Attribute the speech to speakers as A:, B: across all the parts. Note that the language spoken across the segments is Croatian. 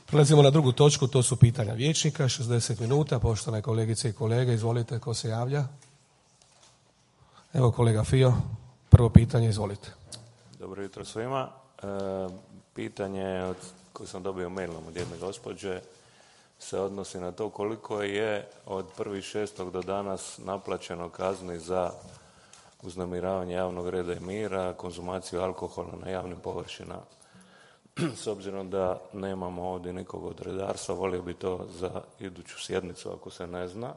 A: Prelazimo na drugu točku, to su pitanja vijećnika, 60 minuta. Poštovane kolegice i kolege, izvolite, ko se javlja? Evo kolega Fio, prvo pitanje, izvolite.
B: Dobro jutro svima. Pitanje koje sam dobio mailom od jedne gospođe se odnosi na to koliko je od 1.6. do danas naplaćeno kazni za uznemiravanje javnog reda i mira, konzumaciju alkohola na javnim površinama. S obzirom da nemamo ovdje nikog od redarstva, volio bi to za iduću sjednicu ako se ne zna.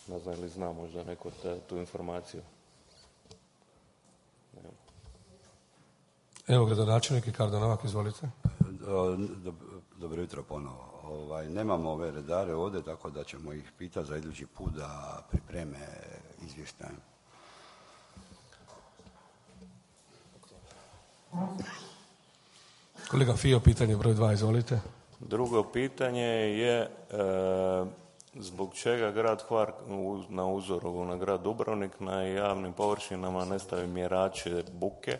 B: Ne znam ili zna možda neko tu informaciju.
A: Evo gradonačelnik Ricardo Novak, izvolite.
C: Dobro jutro ponovo. Nemamo ove redare ovdje, tako da ćemo ih pitati za idući put da pripreme izvještaj.
A: Kolega Fio, pitanje broj 2, izvolite.
B: Drugo pitanje je zbog čega grad Hvar na uzoru na grad Dubrovnik na javnim površinama ne stavi mjerače buke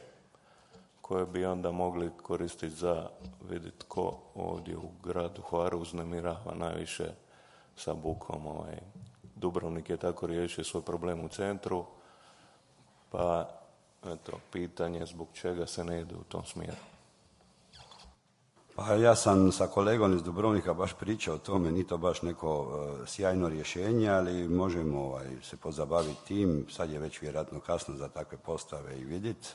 B: koje bi onda mogli koristiti za vidjeti ko ovdje u gradu Hvaru uznemirava najviše sa bukom. Dubrovnik je tako riješio svoj problem u centru, pa eto, pitanje zbog čega se ne ide u tom smjeru.
C: Pa ja sam sa kolegom iz Dubrovnika baš pričao o tome, ni to baš neko sjajno rješenje, ali možemo se pozabaviti tim. Sad je već vjerojatno kasno za takve postave i vidjeti.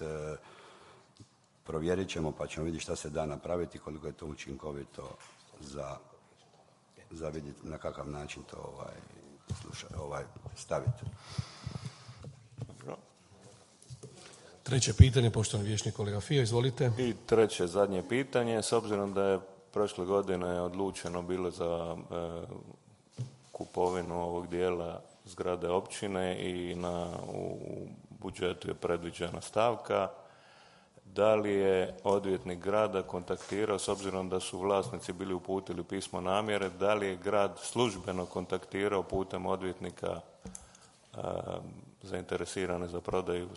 C: Provjerit ćemo pa ćemo vidjeti šta se da napraviti, koliko je to učinkovito za vidjeti na kakav način to staviti.
A: Treće pitanje, poštovani vijećnik kolega Fio, izvolite.
B: I treće, zadnje pitanje, s obzirom da je prošle godine odlučeno bilo za kupovinu ovog dijela zgrade općine i u budžetu je predviđena stavka, da li je odvjetnik grada kontaktirao, s obzirom da su vlasnici bili uputili pismo namjere, da li je grad službeno kontaktirao putem odvjetnika zainteresirane za prodaju?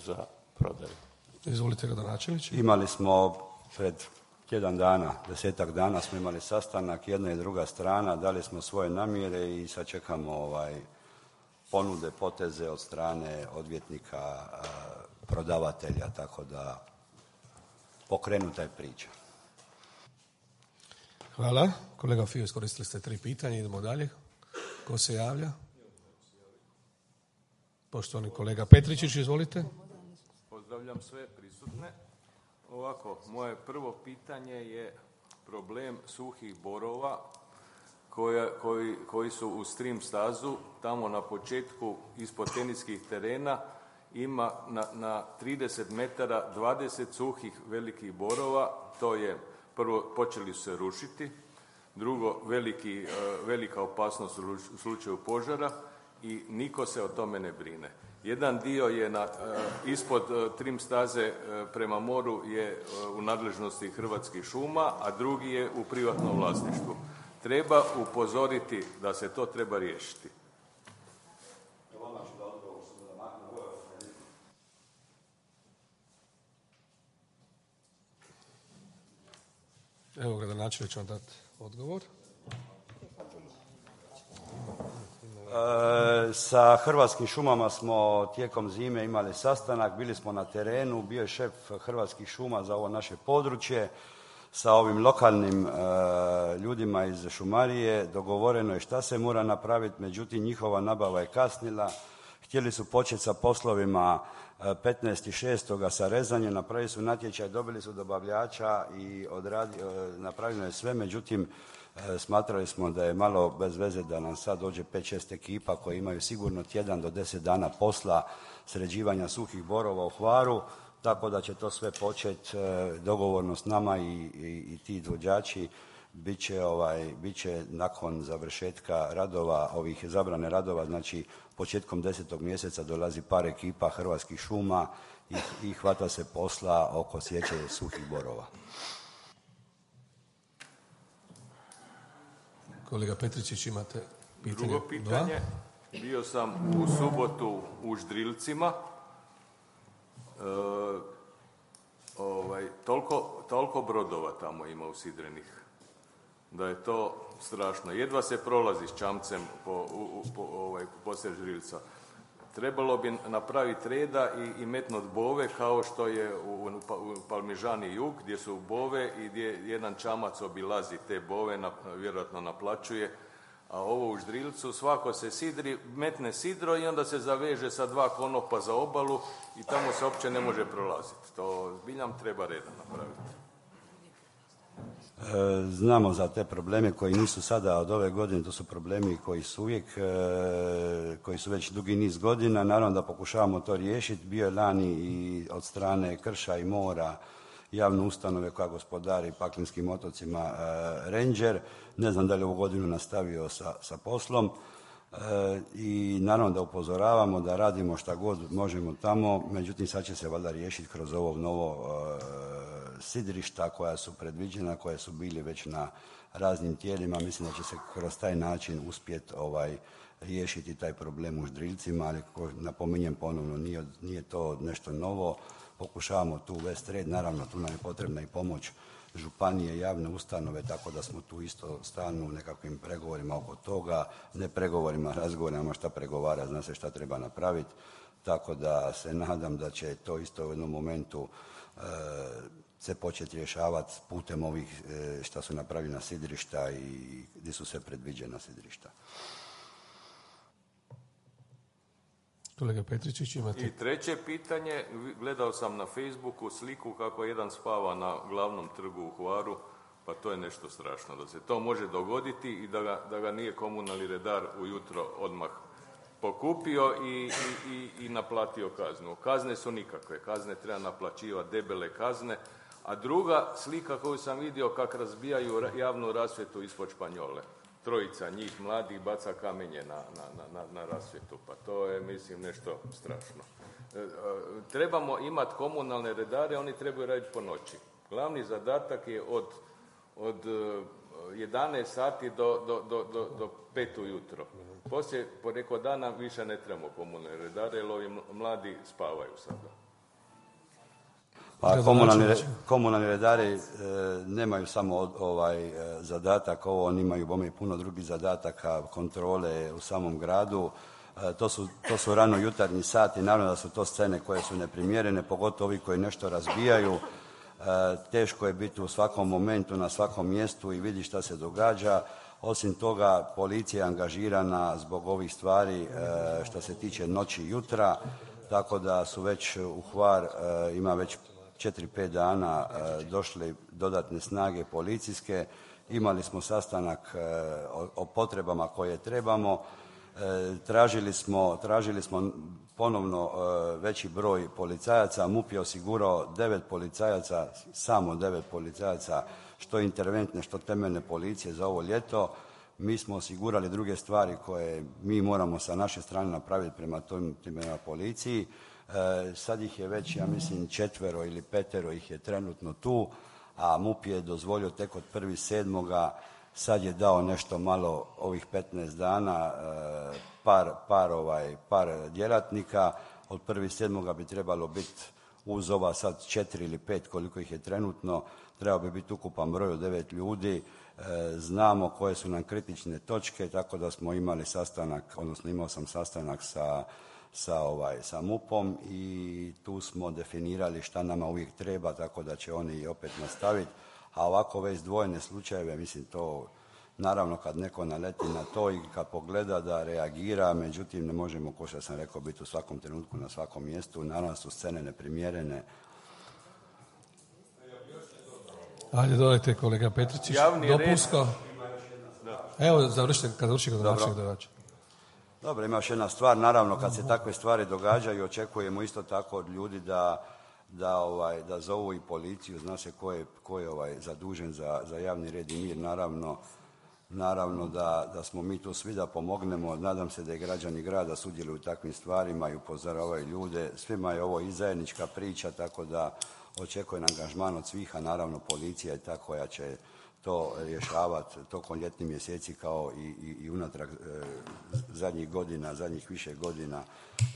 A: Izvolite gradonačelniče.
C: Imali smo pred 10 dana smo imali sastanak, jedna i druga strana, dali smo svoje namjere i sad čekamo ponude, poteze od strane odvjetnika, prodavatelja, tako da pokrenuta je priča.
A: Hvala. Kolega Fio, iskoristili ste 3 pitanja, idemo dalje. Ko se javlja? Poštovani kolega Petričić, izvolite.
D: Pozdravljam sve prisutne. Ovako, moje prvo pitanje je problem suhih borova koji su u stream stazu, tamo na početku ispod teniskih terena ima na 30 metara 20 suhih velikih borova. To je prvo, počeli su se rušiti, drugo, velika opasnost u slučaju požara i niko se o tome ne brine. Jedan dio je ispod trim staze prema moru je u nadležnosti Hrvatskih šuma, a drugi je u privatnom vlasništvu. Treba upozoriti da se to treba riješiti.
A: Evo gradonačelnik će vam dati odgovor.
C: Sa Hrvatskim šumama smo tijekom zime imali sastanak, bili smo na terenu, bio je šef Hrvatskih šuma za ovo naše područje. Sa ovim lokalnim ljudima iz šumarije dogovoreno je šta se mora napraviti, međutim njihova nabava je kasnila. Htjeli su početi sa poslovima 15.6. sa rezanjem, napravili su natječaj, dobili su dobavljača i napravljeno je sve, međutim smatrali smo da je malo bez veze da nam sad dođe 5-6 ekipa koje imaju sigurno tjedan do 10 dana posla sređivanja suhih borova u Hvaru, tako da će to sve početi dogovorno s nama i ti izvođači bit će nakon završetka radova, ovih zabrane radova, znači početkom 10. mjeseca dolazi par ekipa Hrvatskih šuma i hvata se posla oko sječe suhih borova.
A: Kolega Petričić, imate pitanje?
D: Drugo pitanje. Bio sam u subotu u Ždrilcima. toliko brodova tamo ima usidrenih, da je to strašno. Jedva se prolazi s čamcem poslije Ždrilca. Trebalo bi napraviti reda i metnut bove kao što je u Palmižani jug, gdje su bove i gdje jedan čamac obilazi te bove, vjerojatno naplaćuje. A ovo u Ždrilcu, svako se sidri, metne sidro i onda se zaveže sa 2 konopa za obalu i tamo se uopće ne može prolaziti. To zbiljam treba reda napraviti.
C: Znamo za te probleme koji nisu sada od ove godine, to su problemi koji su uvijek, koji su već dugi niz godina. Naravno da pokušavamo to riješiti. Bio je lani i od strane Krša i mora javne ustanove koja gospodari Paklenskim otocima Ranger. Ne znam da li ovu godinu nastavio sa poslom. I naravno da upozoravamo da radimo šta god možemo tamo, međutim sad će se valjda riješiti kroz ovo novo sidrišta koja su predviđena, koja su bili već na raznim tijelima. Mislim da će se kroz taj način uspjeti riješiti taj problem u Ždrilcima, ali napominjem ponovno, nije to nešto novo. Pokušavamo tu uvesti red, naravno tu nam je potrebna i pomoć županije, javne ustanove, tako da smo tu isto stalno u nekakvim pregovorima oko toga, ne pregovorima, razgovorima šta pregovara, zna se šta treba napraviti, tako da se nadam da će to isto u jednom momentu se početi rješavati putem ovih šta su napravljena sidrišta i gdje su sve predviđena sidrišta.
A: Kolega Petričić, imate...
D: I treće pitanje, gledao sam na Facebooku sliku kako jedan spava na glavnom trgu u Hvaru, pa to je nešto strašno, da se to može dogoditi i da ga nije komunalni redar ujutro odmah pokupio i naplatio kaznu. Kazne su nikakve, kazne treba naplaćivati, debele kazne, a druga slika koju sam vidio kako razbijaju javnu rasvjetu ispod Španjole. 3 njih mladih baca kamenje na rasvjetu, pa to je, mislim, nešto strašno. Trebamo imati komunalne redare, oni trebaju raditi po noći. Glavni zadatak je od 11 sati do 5 ujutro. Poslije, po neko dana, više ne trebamo komunalne redare, jer ovi mladi spavaju sada.
C: Pa komunalni redari nemaju samo zadatak, oni imaju bome i puno drugih zadataka, kontrole u samom gradu. To su rano jutarnji sati, naravno da su to scene koje su neprimjerene, pogotovo ovi koji nešto razbijaju. Teško je biti u svakom momentu, na svakom mjestu i vidi šta se događa. Osim toga, policija je angažirana zbog ovih stvari što se tiče noći i jutra, tako da su već u Hvar, ima već 4-5 dana došle dodatne snage policijske. Imali smo sastanak o potrebama koje trebamo. Tražili smo ponovno veći broj policajaca. MUP je osigurao 9 policajaca, samo 9 policajaca, što interventne, što temeljne policije za ovo ljeto. Mi smo osigurali druge stvari koje mi moramo sa naše strane napraviti prema policiji. Sad ih je već, ja mislim, 4 ili 5 ih je trenutno tu, a MUP je dozvolio tek od 1.7. Sad je dao nešto malo ovih 15 dana, par djelatnika. Od 1.7. bi trebalo biti uz ova sad 4 ili 5 koliko ih je trenutno, trebao bi biti ukupan broj od 9 ljudi. Znamo koje su nam kritične točke, tako da smo imali sastanak, odnosno imao sam sastanak sa MUP-om i tu smo definirali šta nama uvijek treba, tako da će oni opet nastaviti. A ovako ove izdvojene slučajeve, mislim, to naravno kad neko naleti na to i kad pogleda da reagira, međutim ne možemo, kao što sam rekao, biti u svakom trenutku na svakom mjestu. Naravno su scene neprimjerene.
A: Ajde, dodajte, kolega Petričić. Dopunsko. Evo, kad završi gradonačelnik Dorač.
C: Dobro, ima još jedna stvar. Naravno, kad se takve stvari događaju, očekujemo isto tako od ljudi da zovu i policiju. Zna se ko je zadužen za javni red i mir. Naravno da smo mi tu svi da pomognemo. Nadam se da i građani grada sudjeluju u takvim stvarima i upozoravaju ljude. Svima je ovo i zajednička priča, tako da očekujem angažman od svih, a naravno policija je ta koja će to rješavati tokom ljetnih mjeseci kao i unatrag zadnjih više godina.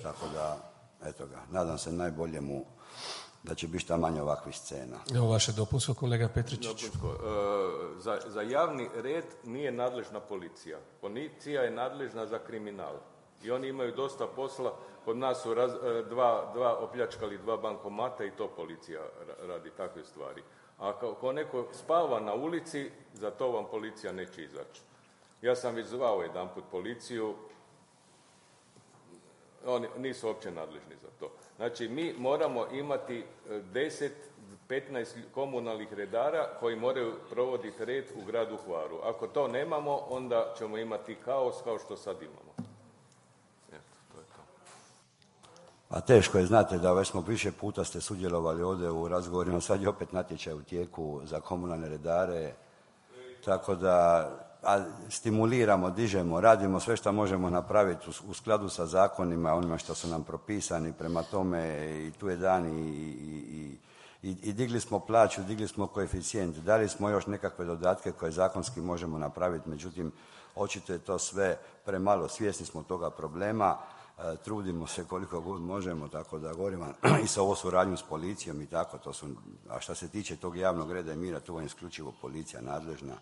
C: Tako da, eto ga, nadam se najboljemu da će biti šta manje ovakvih scena.
A: Evo vaše dopunsko, kolega Petričić.
D: Za javni red nije nadležna policija. Policija je nadležna za kriminal. I oni imaju dosta posla. Kod nas su opljačkali 2 bankomata i to policija radi takve stvari. A ako neko spava na ulici, za to vam policija neće izaći. Ja sam već zvao jedanput policiju, oni nisu uopće nadležni za to. Znači, mi moramo imati 10-15 komunalnih redara koji moraju provoditi red u gradu Hvaru. Ako to nemamo, onda ćemo imati kaos kao što sad imamo.
C: A teško je, znate da već smo više puta ste sudjelovali ovdje u razgovorima, sad je opet natječaj u tijeku za komunalne redare, tako da stimuliramo, dižemo, radimo sve što možemo napraviti u skladu sa zakonima, onima što su nam propisani, prema tome i tu je dan i digli smo plaću, digli smo koeficijent, dali smo još nekakve dodatke koje zakonski možemo napraviti, međutim očito je to sve premalo, svjesni smo toga problema. Trudimo se koliko god možemo, tako da govorimo i sa ovo suradnju s policijom i tako, a što se tiče tog javnog reda i mira, tu je isključivo policija nadležna,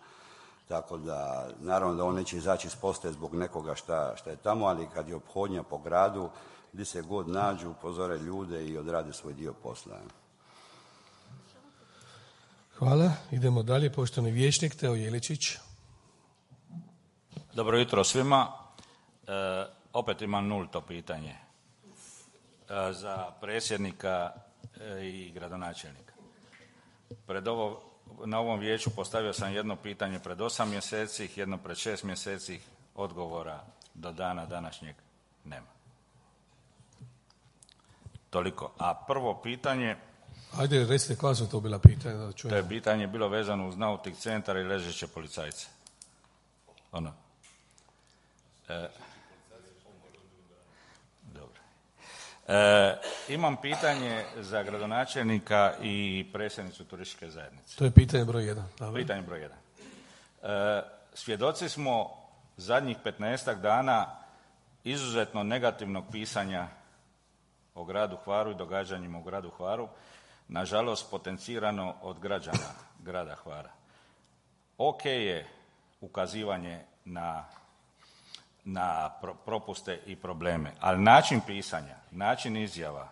C: tako da naravno da on neće izaći iz postaje zbog nekoga šta je tamo, ali kad je ophodnja po gradu, gdje se god nađu, upozore ljude i odrade svoj dio posla.
A: Hvala, idemo dalje, poštovani vijećnik Teo Jeličić.
E: Dobro jutro svima. Opet imam nulto pitanje za predsjednika i gradonačelnika. Na ovom vijeću postavio sam jedno pitanje pred 8 mjeseci, jedno pred 6 mjeseci, odgovora do dana današnjeg nema. Toliko. A prvo pitanje...
A: Ajde, recite koja su to bila pitanja da čujemo.
E: To je pitanje bilo vezano uz Nautik centar i ležeće policajce. Imam pitanje za gradonačelnika i predsjednicu turističke zajednice.
A: To je pitanje broj 1.
E: Pitanje broj 1. Svjedoci smo zadnjih 15 dana izuzetno negativnog pisanja o gradu Hvaru i događanjima u gradu Hvaru, nažalost potencirano od građana grada Hvara. Ok je ukazivanje na propuste i probleme, ali način pisanja, način izjava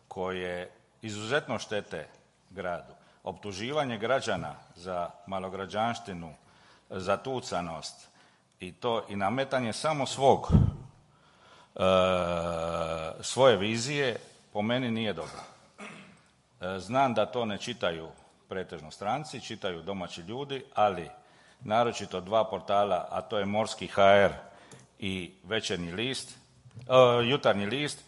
E: koje izuzetno štete gradu, optuživanje građana za malograđanštinu, za tucanost i nametanje samo svoje vizije, po meni nije dobro. Znam da to ne čitaju pretežno stranci, čitaju domaći ljudi, ali naročito 2 portala, a to je Morski HR i Jutarnji list,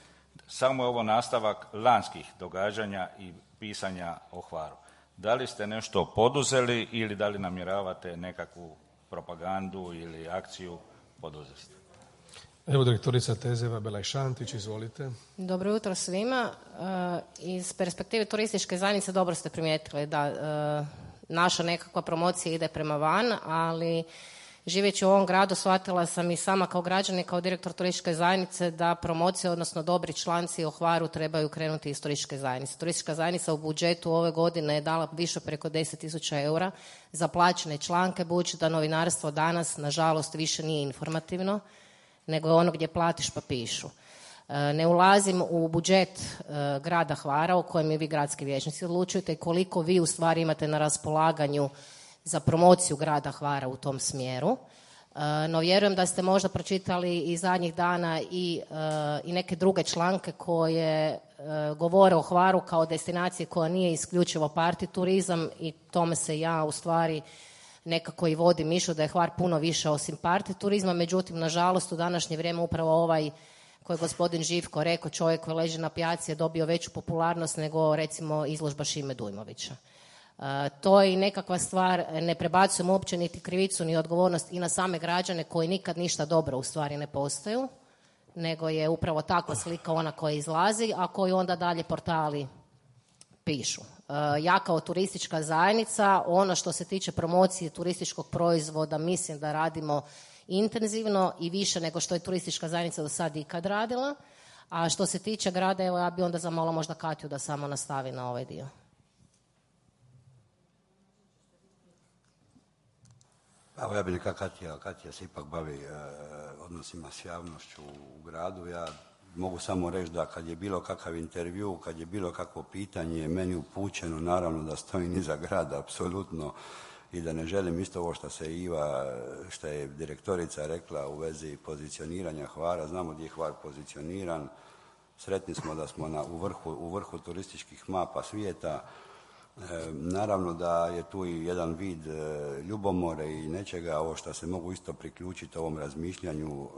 E: samo je ovo nastavak lanjskih događanja i pisanja o Hvaru. Da li ste nešto poduzeli ili da li namjeravate nekakvu propagandu ili akciju poduzeti?
A: Evo direktorica Tezeva Belaj-Šantić, izvolite.
F: Dobro jutro svima. Iz perspektive turističke zajednice dobro ste primijetili da naša nekakva promocija ide prema van, ali živeći u ovom gradu shvatila sam i sama kao građanin, kao direktor turističke zajednice da promocije, odnosno dobri članci o Hvaru trebaju krenuti iz turističke zajednice. Turistička zajednica u budžetu ove godine je dala više preko 10.000 eura za plaćene članke, budući da novinarstvo danas, nažalost, više nije informativno, nego je ono gdje platiš pa pišu. Ne ulazim u budžet grada Hvara o kojem i vi gradski vijećnici odlučujete i koliko vi u stvari imate na raspolaganju za promociju grada Hvara u tom smjeru. No vjerujem da ste možda pročitali i zadnjih dana i neke druge članke koje govore o Hvaru kao destinaciji koja nije isključivo party turizam i tome se ja u stvari nekako i vodim mišlju da je Hvar puno više osim party turizma, međutim nažalost u današnje vrijeme upravo ovaj koji je gospodin Živko rekao, čovjek koji leži na pijaci je dobio veću popularnost nego recimo izložba Šime Dujmovića. To je i nekakva stvar, ne prebacujem uopće niti krivicu ni odgovornost i na same građane koji nikad ništa dobro u stvari ne postaju, nego je upravo takva slika ona koja izlazi, a koju onda dalje portali pišu. Ja kao turistička zajednica, ono što se tiče promocije turističkog proizvoda, mislim da radimo intenzivno i više nego što je turistička zajednica do sad ikad radila, A što se tiče grada, evo ja bi onda zamolila možda Katju da samo nastavi na ovaj dio.
C: Evo ja bih neka Katja se ipak bavi odnosima s javnošću u gradu. Ja mogu samo reći da kad je bilo kakav intervju, kad je bilo kakvo pitanje meni upućeno, naravno da stojim iza grada, apsolutno, i da ne želim isto ovo što je direktorica rekla u vezi pozicioniranja Hvara. Znamo gdje je Hvar pozicioniran, sretni smo da smo u vrhu turističkih mapa svijeta. Naravno da je tu i jedan vid ljubomore i nečega, ovo što se mogu isto priključiti ovom razmišljanju.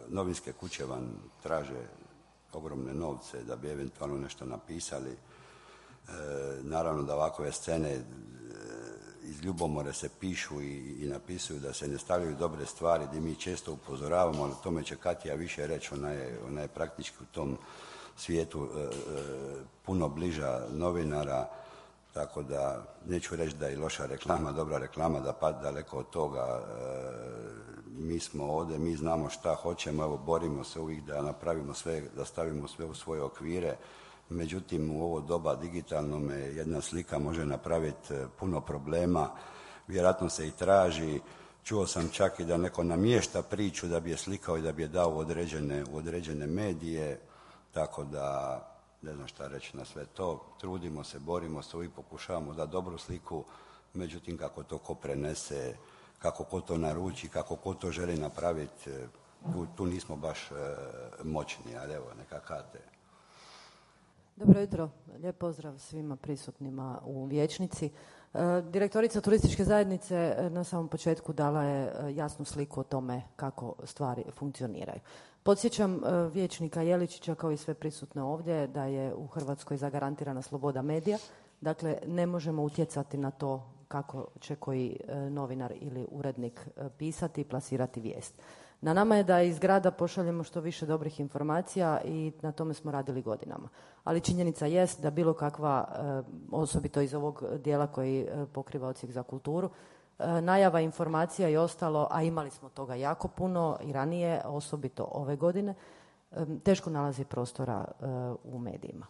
C: Novinske kuće vam traže ogromne novce da bi eventualno nešto napisali. Naravno da ovakve scene iz ljubomore se pišu i napisuju da se ne stavljaju dobre stvari, gdje mi često upozoravamo, ali tome će Katja više reći, ona je praktički u tom svijetu puno bliža novinara, tako da neću reći da je loša reklama, dobra reklama, da pa daleko od toga. Mi smo ovdje, mi znamo šta hoćemo, evo borimo se uvijek da napravimo sve, da stavimo sve u svoje okvire. Međutim, u ovo doba digitalnome jedna slika može napraviti puno problema, vjerojatno se i traži. Čuo sam čak i da neko namješta priču da bi je slikao i da bi je dao u određene medije, tako da ne znam šta reći na sve to. Trudimo se, borimo se, uvijek pokušavamo da dobru sliku, međutim kako to ko prenese, kako ko to naruči, kako ko to želi napraviti, tu nismo baš moćni, ali evo, neka Kate.
G: Dobro jutro, lijep pozdrav svima prisutnima u vijećnici. Direktorica turističke zajednice na samom početku dala je jasnu sliku o tome kako stvari funkcioniraju. Podsjećam vijećnika Jeličića kao i sve prisutne ovdje da je u Hrvatskoj zagarantirana sloboda medija, dakle ne možemo utjecati na to kako će koji novinar ili urednik pisati i plasirati vijest. Na nama je da iz grada pošaljemo što više dobrih informacija i na tome smo radili godinama. Ali činjenica jest da bilo kakva, osobito iz ovog dijela koji pokriva odsjek za kulturu, najava informacija i ostalo, a imali smo toga jako puno i ranije, osobito ove godine, teško nalazi prostora u medijima.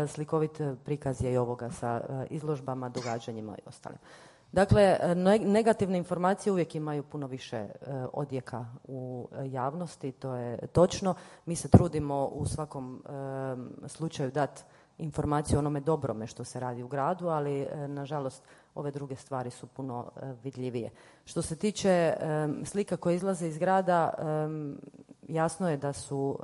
G: Slikovit prikaz je i ovoga sa izložbama, događanjima i ostalim. Dakle, negativne informacije uvijek imaju puno više odjeka u javnosti, to je točno. Mi se trudimo u svakom slučaju dati informaciju o onome dobrome što se radi u gradu, ali nažalost ove druge stvari su puno vidljivije. Što se tiče slika koje izlaze iz grada, jasno je da su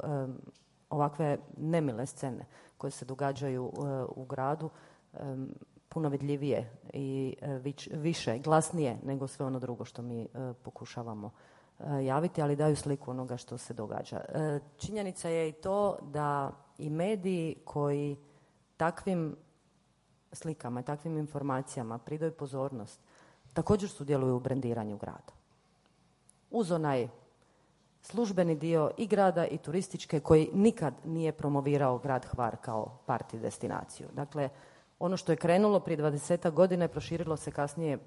G: ovakve nemile scene koje se događaju u gradu puno vidljivije i više, glasnije nego sve ono drugo što mi pokušavamo javiti, ali daju sliku onoga što se događa. Činjenica je i to da i mediji koji takvim slikama i takvim informacijama pridaju pozornost, također sudjeluju u brendiranju grada. Uz onaj službeni dio i grada i turističke koji nikad nije promovirao grad Hvar kao party destinaciju. Dakle, ono što je krenulo prije 20 godina i proširilo se kasnije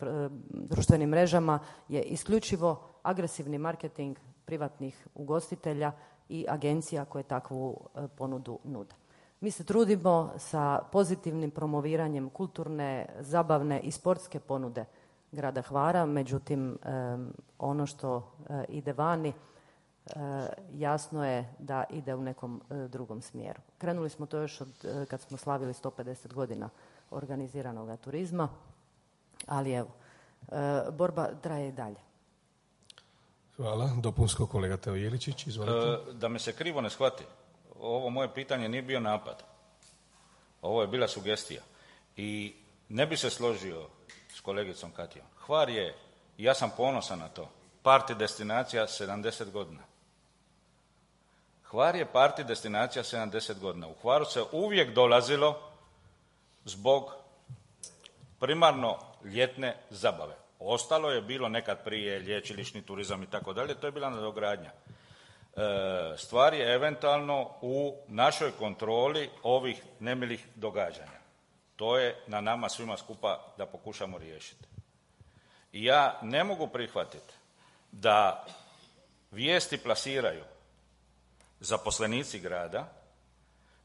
G: društvenim mrežama je isključivo agresivni marketing privatnih ugostitelja i agencija koje takvu ponudu nude. Mi se trudimo sa pozitivnim promoviranjem kulturne, zabavne i sportske ponude grada Hvara, međutim ono što ide vani jasno je da ide u nekom drugom smjeru. Krenuli smo to još kad smo slavili 150 godina organiziranog turizma, ali evo, borba traje i dalje.
A: Hvala. Dopunsko kolega Teo Jeličić, izvolite.
E: Da me se krivo ne shvati, ovo moje pitanje nije bio napad. Ovo je bila sugestija. I ne bi se složio s kolegicom Katijom. Hvar je, ja sam ponosan na to, party destinacija 70 godina. Hvar je party destinacija 70 godina. U Hvaru se uvijek dolazilo zbog primarno ljetne zabave. Ostalo je bilo nekad prije lječilišni turizam i tako dalje, to je bila nadogradnja. Stvar je eventualno u našoj kontroli ovih nemilih događanja. To je na nama svima skupa da pokušamo riješiti. I ja ne mogu prihvatiti da vijesti plasiraju zaposlenici grada,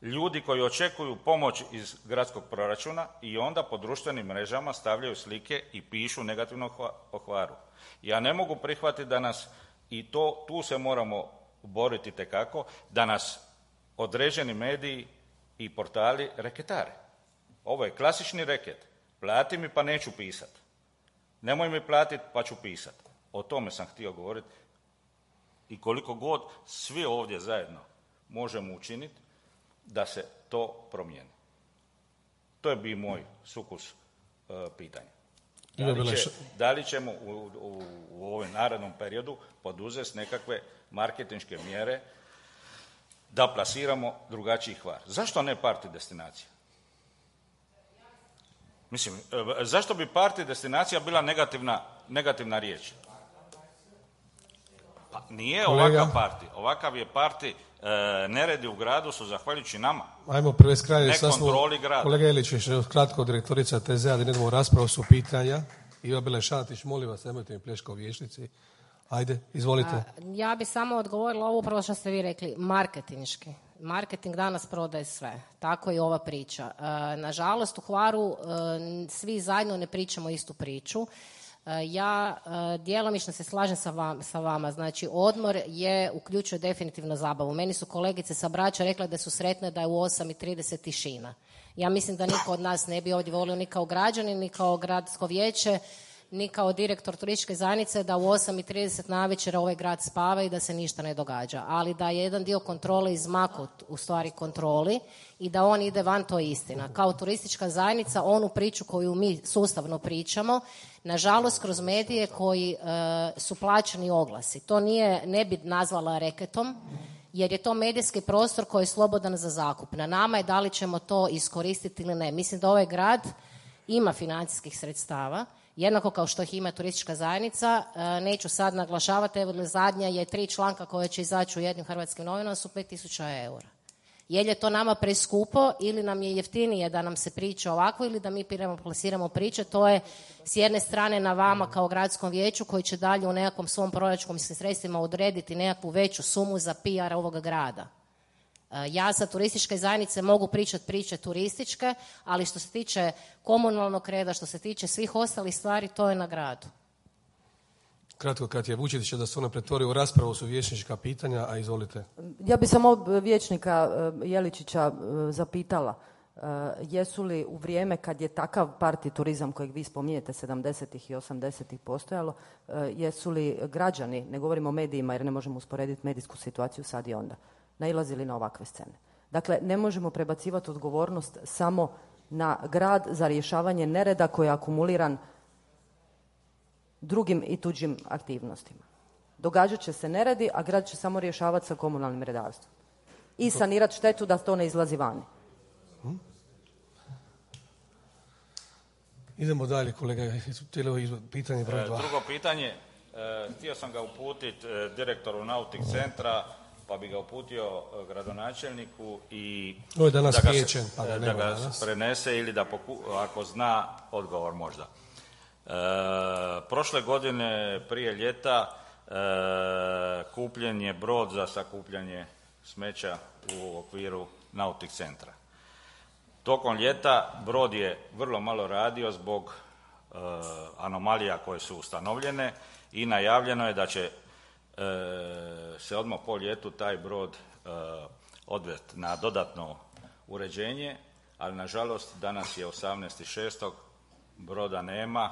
E: ljudi koji očekuju pomoć iz gradskog proračuna i onda po društvenim mrežama stavljaju slike i pišu negativno o Hvaru. Ja ne mogu prihvatiti da nas, i tu se moramo boriti tekako, da nas određeni mediji i portali reketare. Ovo je klasični reket. Plati mi pa neću pisat. Nemoj mi platiti pa ću pisat. O tome sam htio govoriti. I koliko god svi ovdje zajedno možemo učiniti da se to promijeni. To je bi moj sukus pitanja. Da li ćemo u ovom narednom periodu poduzeti nekakve marketinške mjere da plasiramo drugačiji Hvar? Zašto ne party destinacija? Mislim, zašto bi party destinacija bila negativna riječ? Pa nije ovakav party. Ovakav je party, neredi u gradu su zahvaljujući nama.
A: Ajmo prevesti kraj.
E: Ne kontroli grada.
A: Kolega Ilić, još kratko, direktorica TZ-a, da idemo u raspravu su pitanja. Iva Belešatić, molim vas, nemojte mi pleška u vijećnici. Ajde, izvolite.
F: Ja bi samo odgovorila ovo upravo što ste vi rekli, marketinški. Marketing danas prodaje sve. Tako i ova priča. Nažalost, u Hvaru svi zajedno ne pričamo istu priču. Ja djelomično se slažem sa vama. Znači, odmor uključuje definitivno zabavu. Meni su kolegice sa Brača rekle da su sretne da je u 8:30 tišina. Ja mislim da niko od nas ne bi ovdje volio ni kao građanin, ni kao gradsko vijeće, ni kao direktor turističke zajednice da u 8:30 navečer ovaj grad spava i da se ništa ne događa. Ali da je jedan dio kontrole izmaknut u stvari kontroli i da on ide van, to je istina. Kao turistička zajednica, onu priču koju mi sustavno pričamo, nažalost kroz medije koji su plaćeni oglasi. To ne bi nazvala reketom, jer je to medijski prostor koji je slobodan za zakup. Na nama je da li ćemo to iskoristiti ili ne. Mislim da ovaj grad ima financijskih sredstava, jednako kao što ih ima turistička zajednica. Neću sad naglašavati, evo zadnja je 3 članka koje će izaći u jednim hrvatskim novinama su 5.000 eura. Je li je to nama preskupo ili nam je jeftinije da nam se priča ovako ili da mi plasiramo priče, to je s jedne strane na vama kao gradskom vijeću koji će dalje u nekakvom svom proračunskim sredstvima odrediti nekakvu veću sumu za PR ovoga grada. Ja sa turističke zajednice mogu pričati priče turističke, ali što se tiče komunalnog reda, što se tiče svih ostalih stvari, to je na gradu.
A: Kratko, kad je Vučetić da se ona pretvori u raspravu su vijećnička pitanja, a izvolite.
G: Ja bi samo vijećnika Jeličića zapitala, jesu li u vrijeme kad je takav parti turizam kojeg vi spominjete 70-ih i 80-ih postojalo, jesu li građani, ne govorimo o medijima jer ne možemo usporediti medijsku situaciju sad i onda, nailazili na ovakve scene? Dakle, ne možemo prebacivati odgovornost samo na grad za rješavanje nereda koji je akumuliran drugim i tuđim aktivnostima. Događat će se neredi, a grad će samo rješavati sa komunalnim redarstvom. I sanirati štetu da to ne izlazi vani.
A: Idemo dalje, kolega. Pitanje broj 2.
E: Drugo pitanje, htio sam ga uputiti direktoru Nautik centra, pa bi ga uputio gradonačelniku i
A: danas
E: da ga prenese ili da ako zna odgovor možda. Prošle godine prije ljeta kupljen je brod za sakupljanje smeća u okviru Nautik centra. Tokom ljeta brod je vrlo malo radio zbog anomalija koje su ustanovljene i najavljeno je da će se odmah po ljetu taj brod odvesti na dodatno uređenje, ali nažalost danas je 18.6. broda nema,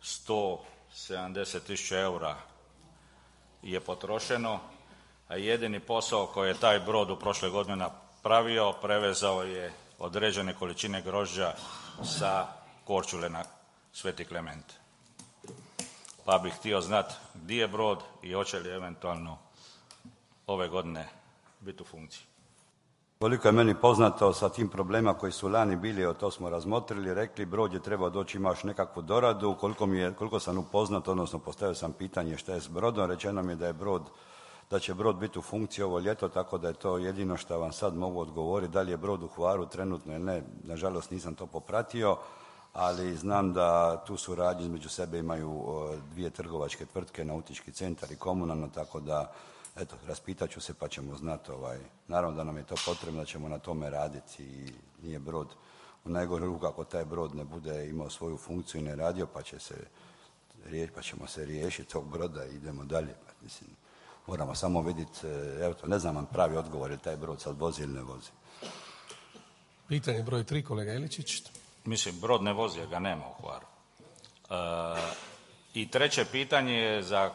E: 170.000 eura je potrošeno, a jedini posao koji je taj brod u prošle godine napravio, prevezao je određene količine grožđa sa Korčule na Sveti Klement. Pa bih htio znati gdje je brod i hoće li eventualno ove godine biti u funkciji.
C: Koliko je meni poznato sa tim problema koji su lani bili, to smo razmotrili, rekli brod je trebao doći, imaš nekakvu doradu, koliko sam upoznat, odnosno postavio sam pitanje šta je s brodom, rečeno mi je da će brod biti u funkciji ovo ljeto, tako da je to jedino što vam sad mogu odgovoriti. Da li je brod u Hvaru trenutno ili ne, nažalost nisam to popratio, ali znam da tu suradnju između sebe imaju 2 trgovačke tvrtke, Nautički centar i komunalno, tako da eto, raspitat ću se pa ćemo znati. Naravno da nam je to potrebno, da ćemo na tome raditi i nije brod u najgore ruku ako taj brod ne bude imao svoju funkciju i ne radio, pa ćemo se riješiti tog broda i idemo dalje. Mislim, moramo samo vidjeti, evo to, ne znam vam pravi odgovor, je taj brod sad vozi ili ne vozi.
A: Pitanje broj 3, kolega Iličić.
E: Mislim, brod ne vozi, jer ga nema u Hvaru. I treće pitanje je za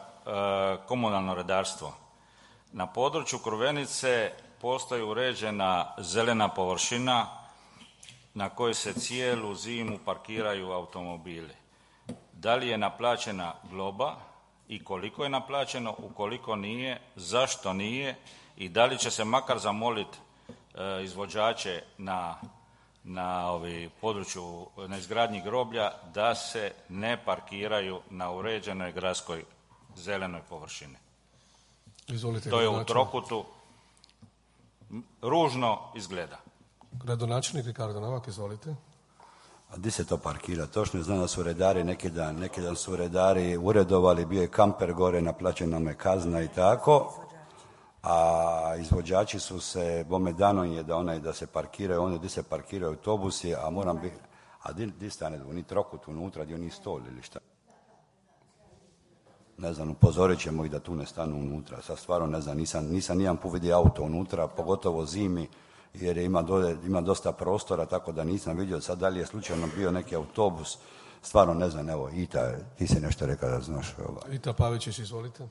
E: komunalno redarstvo. Na području Crvenice postoji uređena zelena površina na kojoj se cijelu zimu parkiraju automobili. Da li je naplaćena globa i koliko je naplaćeno, ukoliko nije, zašto nije i da li će se makar zamoliti izvođače na području na izgradnji groblja da se ne parkiraju na uređenoj gradskoj zelenoj površini.
A: Izvolite,
E: to je u trokutu. Ružno izgleda.
A: Gradonačelnik Ricardo Novak, izvolite.
C: A di se to parkira? Točno znam da su redari neki dan su redari uredovali, bio je kamper gore, naplaćena mu je kazna i tako, a izvođači su se, bome dano je da se parkiraju, oni di se parkiraju autobusi, a moram biti, a di stane, oni trokut unutra, gdje oni stol ili šta? Ne znam, upozorit ćemo ih da tu ne stanu unutra, sad stvarno ne znam, nisam nijedan put vidio auto unutra, pogotovo zimi, jer ima dosta prostora, tako da nisam vidio sad da li je slučajno bio neki autobus, stvarno ne znam, evo, Ita, ti si nešto rekao da znaš.
A: Ita Pavičić, izvolite.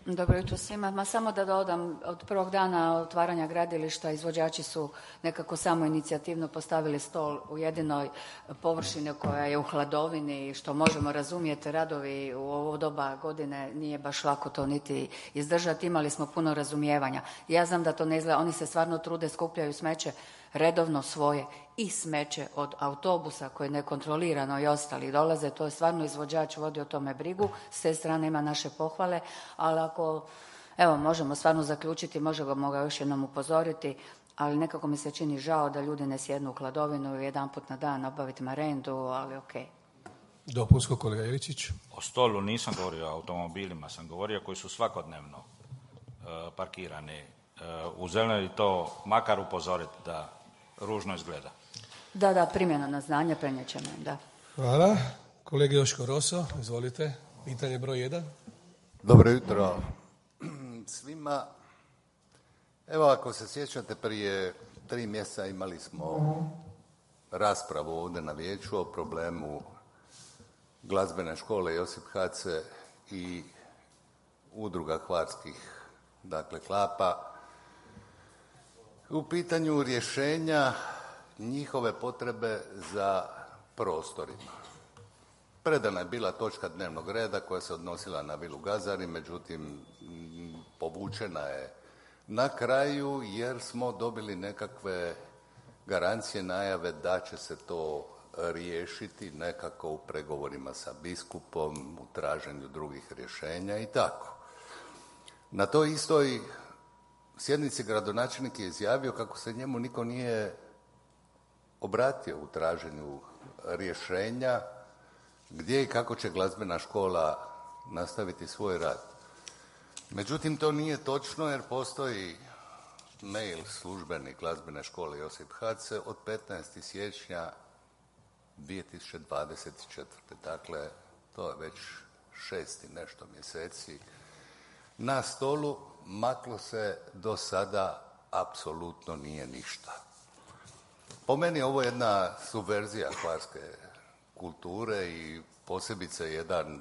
H: Dobro jutro svima. Ma samo da dodam, od prvog dana otvaranja gradilišta izvođači su nekako samo inicijativno postavili stol u jedinoj površini koja je u hladovini, što možemo razumjeti, radovi u ovo doba godine nije baš lako to niti izdržati. Imali smo puno razumijevanja. Ja znam da to ne izgleda, oni se stvarno trude, skupljaju smeće redovno svoje i smeće od autobusa koje nekontrolirano i ostali dolaze, to je stvarno izvođač vodi o tome brigu, s te strane ima naše pohvale, ali ako, evo, možemo stvarno zaključiti, možemo ga još jednom upozoriti, ali nekako mi se čini žao da ljudi ne sjednu u hladovinu i jedanput na dan obaviti marendu, ali okej.
A: Dopunsko, kolega Iličić.
E: O stolu nisam govorio o automobilima, sam govorio koji su svakodnevno parkirani u zelenoj i to makar upozoriti da ružno izgleda.
H: Da, primjena na znanje, prenijet ćemo, da.
A: Hvala. Kolega Joško Roso, izvolite. Pitanje broj 1.
I: Dobro jutro svima. Evo, ako se sjećate, prije 3 mjeseca imali smo raspravu ovdje na vijeću o problemu glazbene škole Josip Hace i udruga hvarskih, dakle, klapa. U pitanju rješenja njihove potrebe za prostorima. Predana je bila točka dnevnog reda koja se odnosila na vilu Gazari, međutim povučena je na kraju jer smo dobili nekakve garancije, najave da će se to riješiti nekako u pregovorima sa biskupom, u traženju drugih rješenja i tako. Na toj istoj sjednici gradonačelnik je izjavio kako se njemu niko nije obratio u traženju rješenja gdje i kako će glazbena škola nastaviti svoj rad. Međutim, to nije točno jer postoji mail službeni glazbene škole Josip Hace od 15. siječnja 2024. Dakle, to je već 6 nešto mjeseci. Na stolu maklo se do sada apsolutno nije ništa. Po meni ovo je jedna subverzija hvarske kulture i posebice jedan,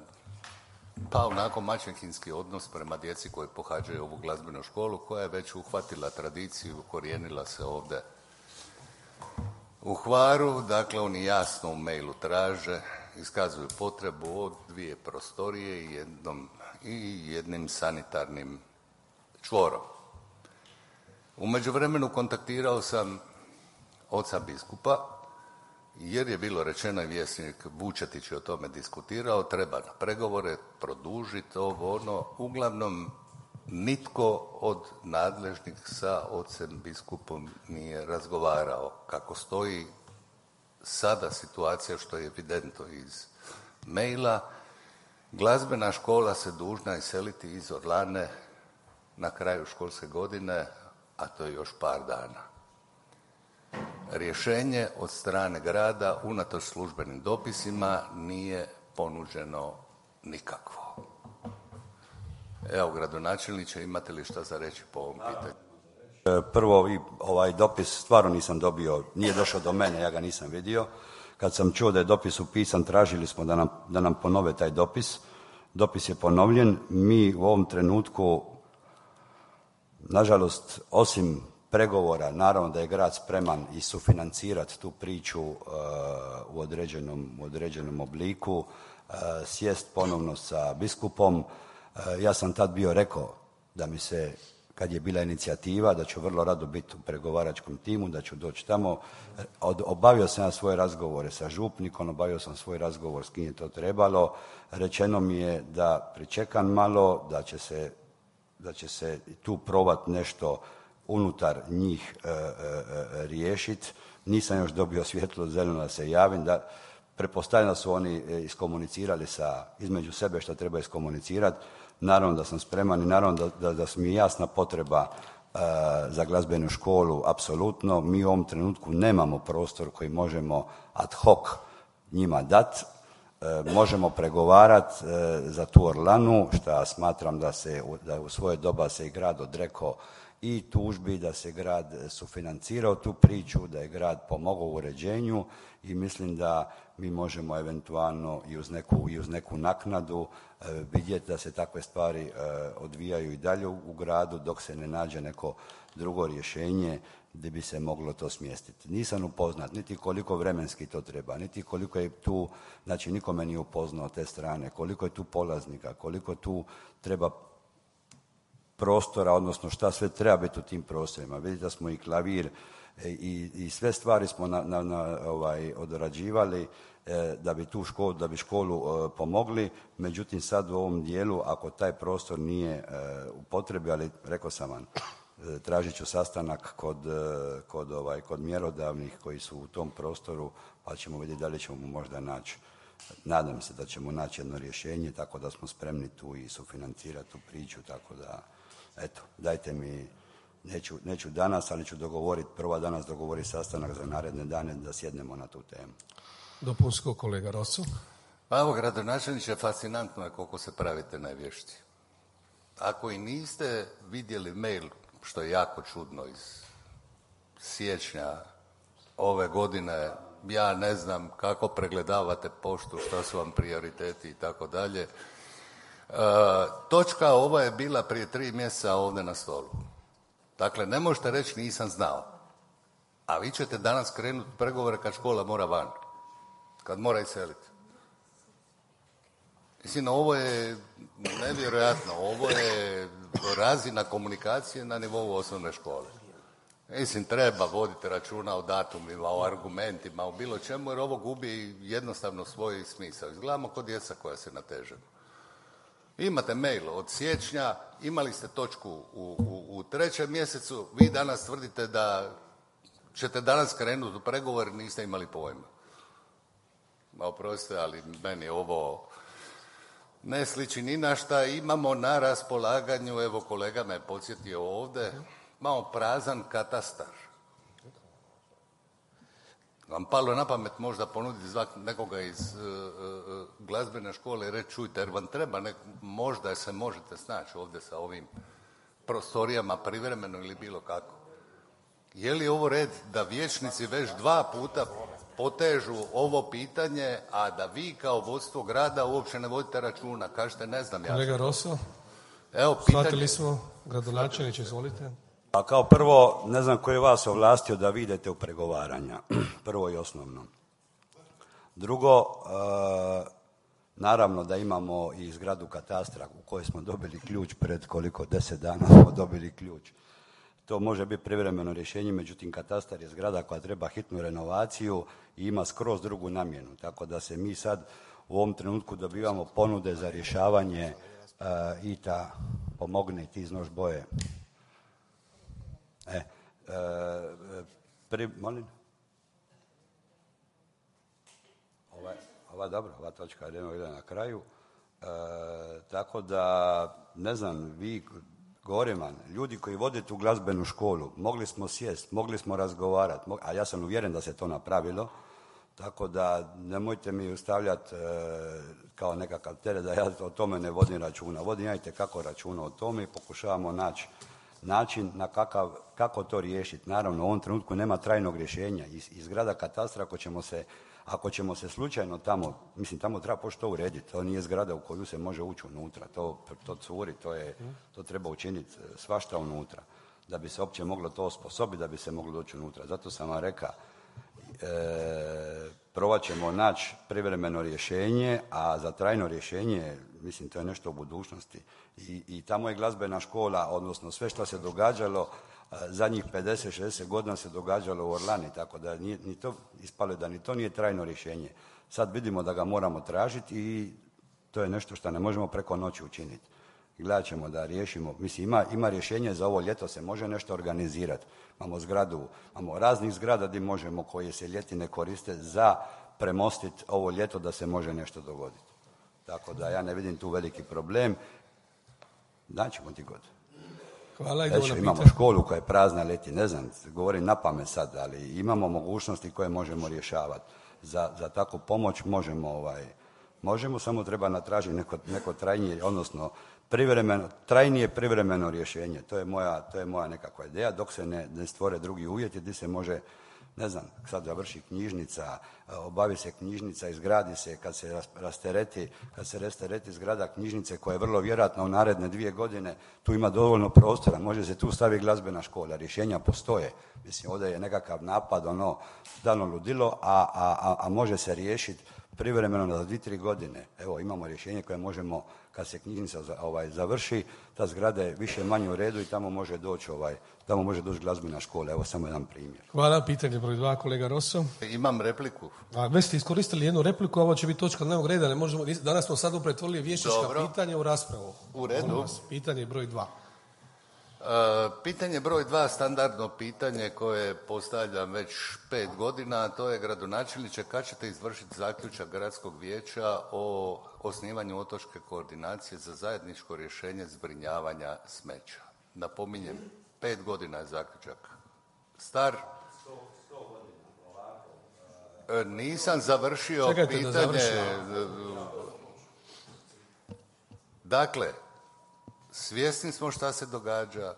I: pa onako maćehinski odnos prema djeci koji pohađaju ovu glazbenu školu koja je već uhvatila tradiciju, ukorijenila se ovdje u Hvaru. Dakle, oni jasno u mailu traže, iskazuju potrebu od 2 prostorije i jednim sanitarnim čvorom. U međuvremenu kontaktirao sam oca biskupa jer je bilo rečeno i vjesnik Vučetić je o tome diskutirao, treba na pregovore produžiti ovo ono. Uglavnom nitko od nadležnih sa ocem biskupom nije razgovarao. Kako stoji sada situacija, što je evidentno iz maila, glazbena škola se dužna iseliti iz Orlane na kraju školske godine, a to je još par dana. Rješenje od strane grada, unatoč službenim dopisima, nije ponuđeno nikakvo. Evo, gradonačelniče, imate li šta za reći po ovom pitanju?
C: Prvo, ovaj dopis stvarno nisam dobio, nije došao do mene, ja ga nisam vidio. Kad sam čuo da je dopis upisan, tražili smo da nam ponove taj dopis. Dopis je ponovljen. Mi u ovom trenutku, nažalost, osim pregovora, naravno da je grad spreman i sufinancirati tu priču u određenom obliku, sjest ponovno sa biskupom. Ja sam tad bio rekao da mi se, kad je bila inicijativa, da ću vrlo rado biti u pregovaračkom timu, da ću doći tamo. Obavio sam ja svoje razgovore sa župnikom, obavio sam svoj razgovor s kim je to trebalo. Rečeno mi je da pričekam malo, da će se tu probati nešto unutar njih riješiti. Nisam još dobio svjetlo zeleno da se javim. Pretpostavljam da su oni iskomunicirali između sebe što treba iskomunicirati. Naravno da sam spreman i naravno da su mi jasna potreba za glazbenu školu, apsolutno. Mi u ovom trenutku nemamo prostor koji možemo ad hoc njima dati. Možemo pregovarati za tu Orlanu, što smatram da u svoje doba se i grad odrekao i tužbi, da se grad sufinancirao tu priču, da je grad pomogao u uređenju i mislim da mi možemo eventualno i uz neku naknadu vidjeti da se takve stvari odvijaju i dalje u gradu dok se ne nađe neko drugo rješenje gdje bi se moglo to smjestiti. Nisam upoznat niti koliko vremenski to treba, niti koliko je tu, znači nikome nije upoznao te strane, koliko je tu polaznika, koliko tu treba prostora, odnosno šta sve treba biti u tim prostorima. Vidite da smo i klavir i sve stvari smo odrađivali da bi školu pomogli. Međutim, sad u ovom dijelu, ako taj prostor nije u potrebi, ali rekao sam vam, tražit ću sastanak kod mjerodavnih koji su u tom prostoru, pa ćemo vidjeti da li ćemo možda naći. Nadam se da ćemo naći jedno rješenje, tako da smo spremni tu i sufinancirati tu priču, tako da, eto, dajte mi, neću danas, ali ću prvo danas dogovoriti sastanak za naredne dane da sjednemo na tu temu.
A: Dopunsko, kolega Rosu.
I: Pa evo, gradonačelniče, fascinantno je koliko se pravite najvješti. Ako i niste vidjeli mail, što je jako čudno, iz siječnja ove godine, ja ne znam kako pregledavate poštu, šta su vam prioriteti i tako dalje. Točka ova je bila prije 3 mjeseca ovdje na stolu. Dakle, ne možete reći nisam znao. A vi ćete danas krenuti pregovore kad škola mora van. Kad mora iseliti. Mislim, ovo je nevjerojatno. Ovo je razina komunikacije na nivou osnovne škole. Mislim, treba voditi računa o datumima, o argumentima, o bilo čemu, jer ovo gubi jednostavno svoj smisao. Izgledamo kod djeca koja se nateže. Imate mail od siječnja, imali ste točku u 3. mjesecu, vi danas tvrdite da ćete danas krenuti u pregovor, niste imali pojma. Oprostite, ali meni ovo ne sliči ni na šta. Imamo na raspolaganju, evo kolega me podsjetio ovdje, malo prazan katastar. Vam palo na pamet možda ponuditi nekoga iz glazbene škole i reći čujte, jer vam treba, možda se možete snaći ovdje sa ovim prostorijama privremeno ili bilo kako. Je li ovo red da vijećnici već 2 puta potežu ovo pitanje, a da vi kao vodstvo grada uopće ne vodite računa? Kažete, ne znam ja.
A: Kolega Roso,
C: evo, pitanje...
A: shvatili smo, gradonačelniče, izvolite.
C: Pa kao prvo, ne znam koji je vas ovlastio da vi idete u pregovaranja, prvo i osnovno. Drugo, naravno da imamo i zgradu katastra u kojoj smo dobili ključ pred 10 dana smo dobili ključ. To može biti privremeno rješenje, međutim katastar je zgrada koja treba hitnu renovaciju i ima skroz drugu namjenu. Tako da se mi sad u ovom trenutku dobivamo ponude za rješavanje pomogne ti iznoš boje. Molim? Ova točka ide na kraju. Tako da, ne znam, vi Govorim, ljudi koji vode tu glazbenu školu, mogli smo sjest, mogli smo razgovarati, a ja sam uvjeren da se to napravilo, tako da nemojte mi ustavljati kao nekakav teret da ja o tome ne vodim računa. Vodim ja itekako računa o tome i pokušavamo naći način na kako to riješiti. Naravno, u ovom trenutku nema trajnog rješenja. Iz grada katastra, ako ćemo se slučajno tamo, mislim tamo treba početi to urediti, to nije zgrada u koju se može ući unutra, to curi, to treba učiniti svašta unutra, da bi se uopće moglo to osposobiti, da bi se moglo doći unutra. Zato sam vam rekao, probat ćemo naći privremeno rješenje, a za trajno rješenje, mislim, to je nešto u budućnosti. I tamo je glazbena škola, odnosno sve što se događalo, zadnjih 50-60 godina se događalo u Orlani, tako da ni to ispalo da ni to nije trajno rješenje. Sad vidimo da ga moramo tražiti i to je nešto što ne možemo preko noći učiniti. Gledat ćemo da riješimo. Mislim, ima rješenje za ovo ljeto, se može nešto organizirati. Imamo raznih zgrada gdje možemo, koje se ljeti ne koriste, za premostiti ovo ljeto da se može nešto dogoditi. Tako da ja ne vidim tu veliki problem. Daćemo ti god.
A: Hvala,
C: imamo školu koja je prazna leti, ne znam, govorim na pamet sad, ali imamo mogućnosti koje možemo rješavati. Za takvu pomoć možemo, samo treba natražiti neko trajnije, odnosno trajnije privremeno rješenje. To je moja nekakva ideja, dok se ne stvore drugi uvjeti gdje se može, ne znam, sad završi knjižnica, obavi se knjižnica, izgradi se, kad se rastereti zgrada knjižnice, koja je vrlo vjerojatno u naredne 2 godine, tu ima dovoljno prostora, može se tu staviti glazbena škola, rješenja postoje. Mislim, ovdje je nekakav napad, dano ludilo, a može se riješiti privremeno za 2-3 godine. Evo, imamo rješenje koje možemo, kad se knjižnica završi, ta zgrada je više manje u redu i tamo može doći glazbena škola. Evo samo jedan primjer.
A: Hvala. Pitanje broj 2, kolega Rosso.
I: Imam repliku.
A: Već ste iskoristili jednu repliku, a ovo će biti točka dnevnog reda. Danas smo sad pretvorili vijećnička pitanja u raspravu.
I: U redu.
A: Pitanje broj 2.
I: Pitanje broj 2, standardno pitanje koje postavljam već 5 godina, a to je: gradonačelniče, kad ćete izvršiti zaključak gradskog vijeća o osnivanju otočke koordinacije za zajedničko rješenje zbrinjavanja smeća? Napominjem, 5 godina je zaključak star.
C: 100 godina, ovako.
I: Nisam završio pitanje. Dakle, svjesni smo šta se događa,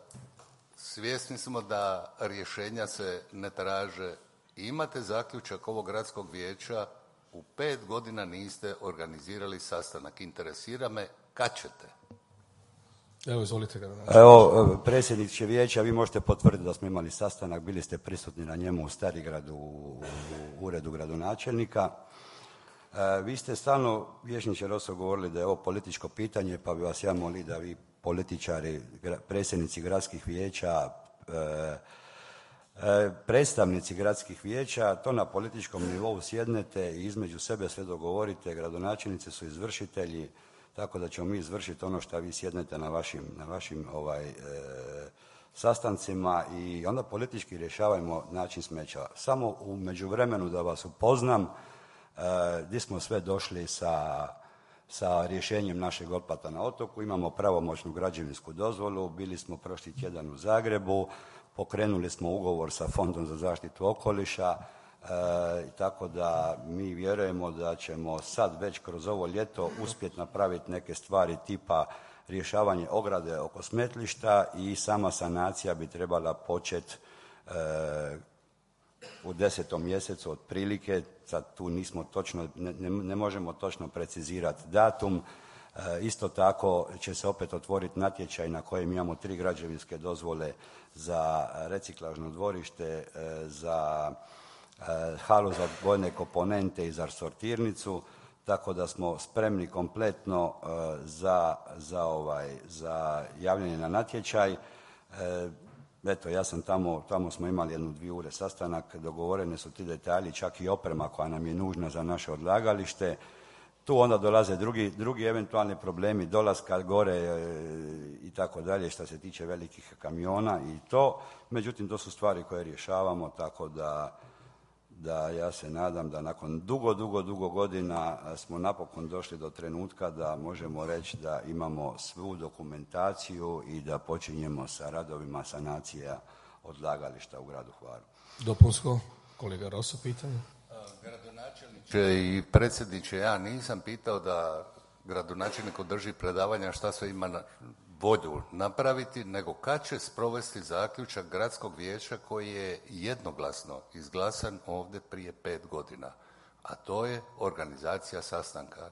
I: svjesni smo da rješenja se ne traže. Imate zaključak ovog gradskog vijeća, u 5 godina niste organizirali sastanak. Interesira me kad ćete.
A: Evo, izvolite ga.
C: Evo, predsjedniče vijeća, vi možete potvrditi da smo imali sastanak, bili ste prisutni na njemu u Starigradu, u uredu gradonačelnika. Vi ste stalno, vijećniče Rosso, govorili da je ovo političko pitanje, pa bi vas ja molio da vi, političari, predsjednici gradskih vijeća, predstavnici gradskih vijeća, to na političkom nivou sjednete i između sebe sve dogovorite. Gradonačelnici su izvršitelji, tako da ćemo mi izvršiti ono što vi sjednete na vašim sastancima i onda politički rješavajmo način smeća. Samo u međuvremenu da vas upoznam, gdje smo sve došli sa rješenjem našeg otplata na otoku. Imamo pravomoćnu građevinsku dozvolu, bili smo prošli tjedan u Zagrebu, pokrenuli smo ugovor sa Fondom za zaštitu okoliša, tako da mi vjerujemo da ćemo sad već kroz ovo ljeto uspjeti napraviti neke stvari tipa rješavanje ograde oko smetlišta i sama sanacija bi trebala početi u 10. mjesecu otprilike. Sad tu nismo točno, ne možemo točno precizirati datum. Isto tako će se opet otvoriti natječaj na kojem imamo 3 građevinske dozvole za reciklažno dvorište, za halu za odvojene komponente i za sortirnicu, tako da smo spremni kompletno za javljanje na natječaj. Eto, ja sam tamo smo imali 1-2 ure sastanak, dogovorene su ti detalji, čak i oprema koja nam je nužna za naše odlagalište. Tu onda dolaze drugi eventualni problemi, dolaska gore i tako dalje, što se tiče velikih kamiona i to. Međutim, to su stvari koje rješavamo, tako da ja se nadam da nakon dugo godina smo napokon došli do trenutka da možemo reći da imamo svu dokumentaciju i da počinjemo sa radovima sanacija odlagališta u gradu Hvaru.
A: Dopunsko, kolega Roso, pitanje.
I: Gradonačelniče i predsjedniče, ja nisam pitao da gradonačelnik održi predavanja šta sve ima na volju napraviti, nego kad će sprovesti zaključak gradskog vijeća koji je jednoglasno izglasan ovdje prije 5 godina, a to je organizacija sastanka.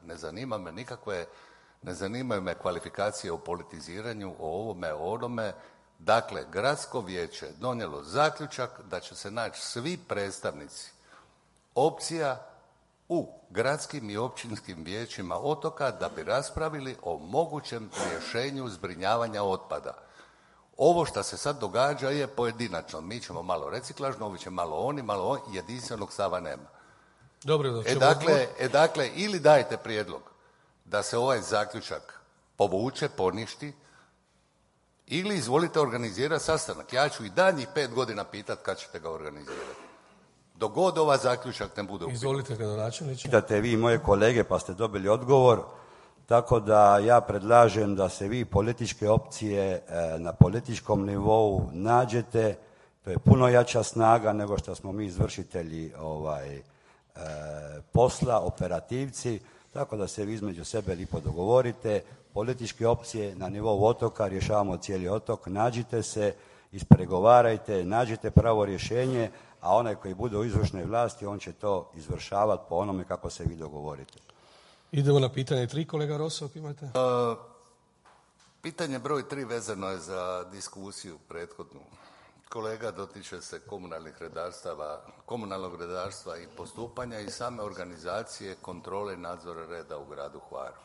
I: Ne zanimaju me kvalifikacije o politiziranju, o ovome, o onome. Dakle, gradsko vijeće je donijelo zaključak da će se naći svi predstavnici opcija u gradskim i općinskim vijećima otoka da bi raspravili o mogućem rješenju zbrinjavanja otpada. Ovo što se sad događa je pojedinačno. Mi ćemo malo reciklažno, ovi će malo oni, jedinstvenog stava nema.
A: Dobro,
I: dakle, ili dajete prijedlog da se ovaj zaključak povuče, poništi, ili izvolite organizirati sastanak. Ja ću i daljnjih 5 godina pitati kad ćete ga organizirati. Dok god ova zaključak ne bude upitan.
A: Izvolite, gradonačelniče.
C: Pitate vi moje kolege pa ste dobili odgovor, tako da ja predlažem da se vi političke opcije na političkom nivou nađete. To je puno jača snaga nego što smo mi izvršitelji posla, operativci, tako da se vi između sebe lipo dogovorite. Političke opcije na nivou otoka, rješavamo cijeli otok, nađite se, ispregovarajte, nađite pravo rješenje, a onaj koji bude u izvršnoj vlasti, on će to izvršavati po onome kako se vi dogovorite.
A: Idemo na pitanje 3, kolega Roso, ako imate.
I: Pitanje broj 3 vezano je za diskusiju prethodnu. Kolega dotiče se komunalnog redarstva i postupanja i same organizacije kontrole i nadzora reda u gradu Hvaru.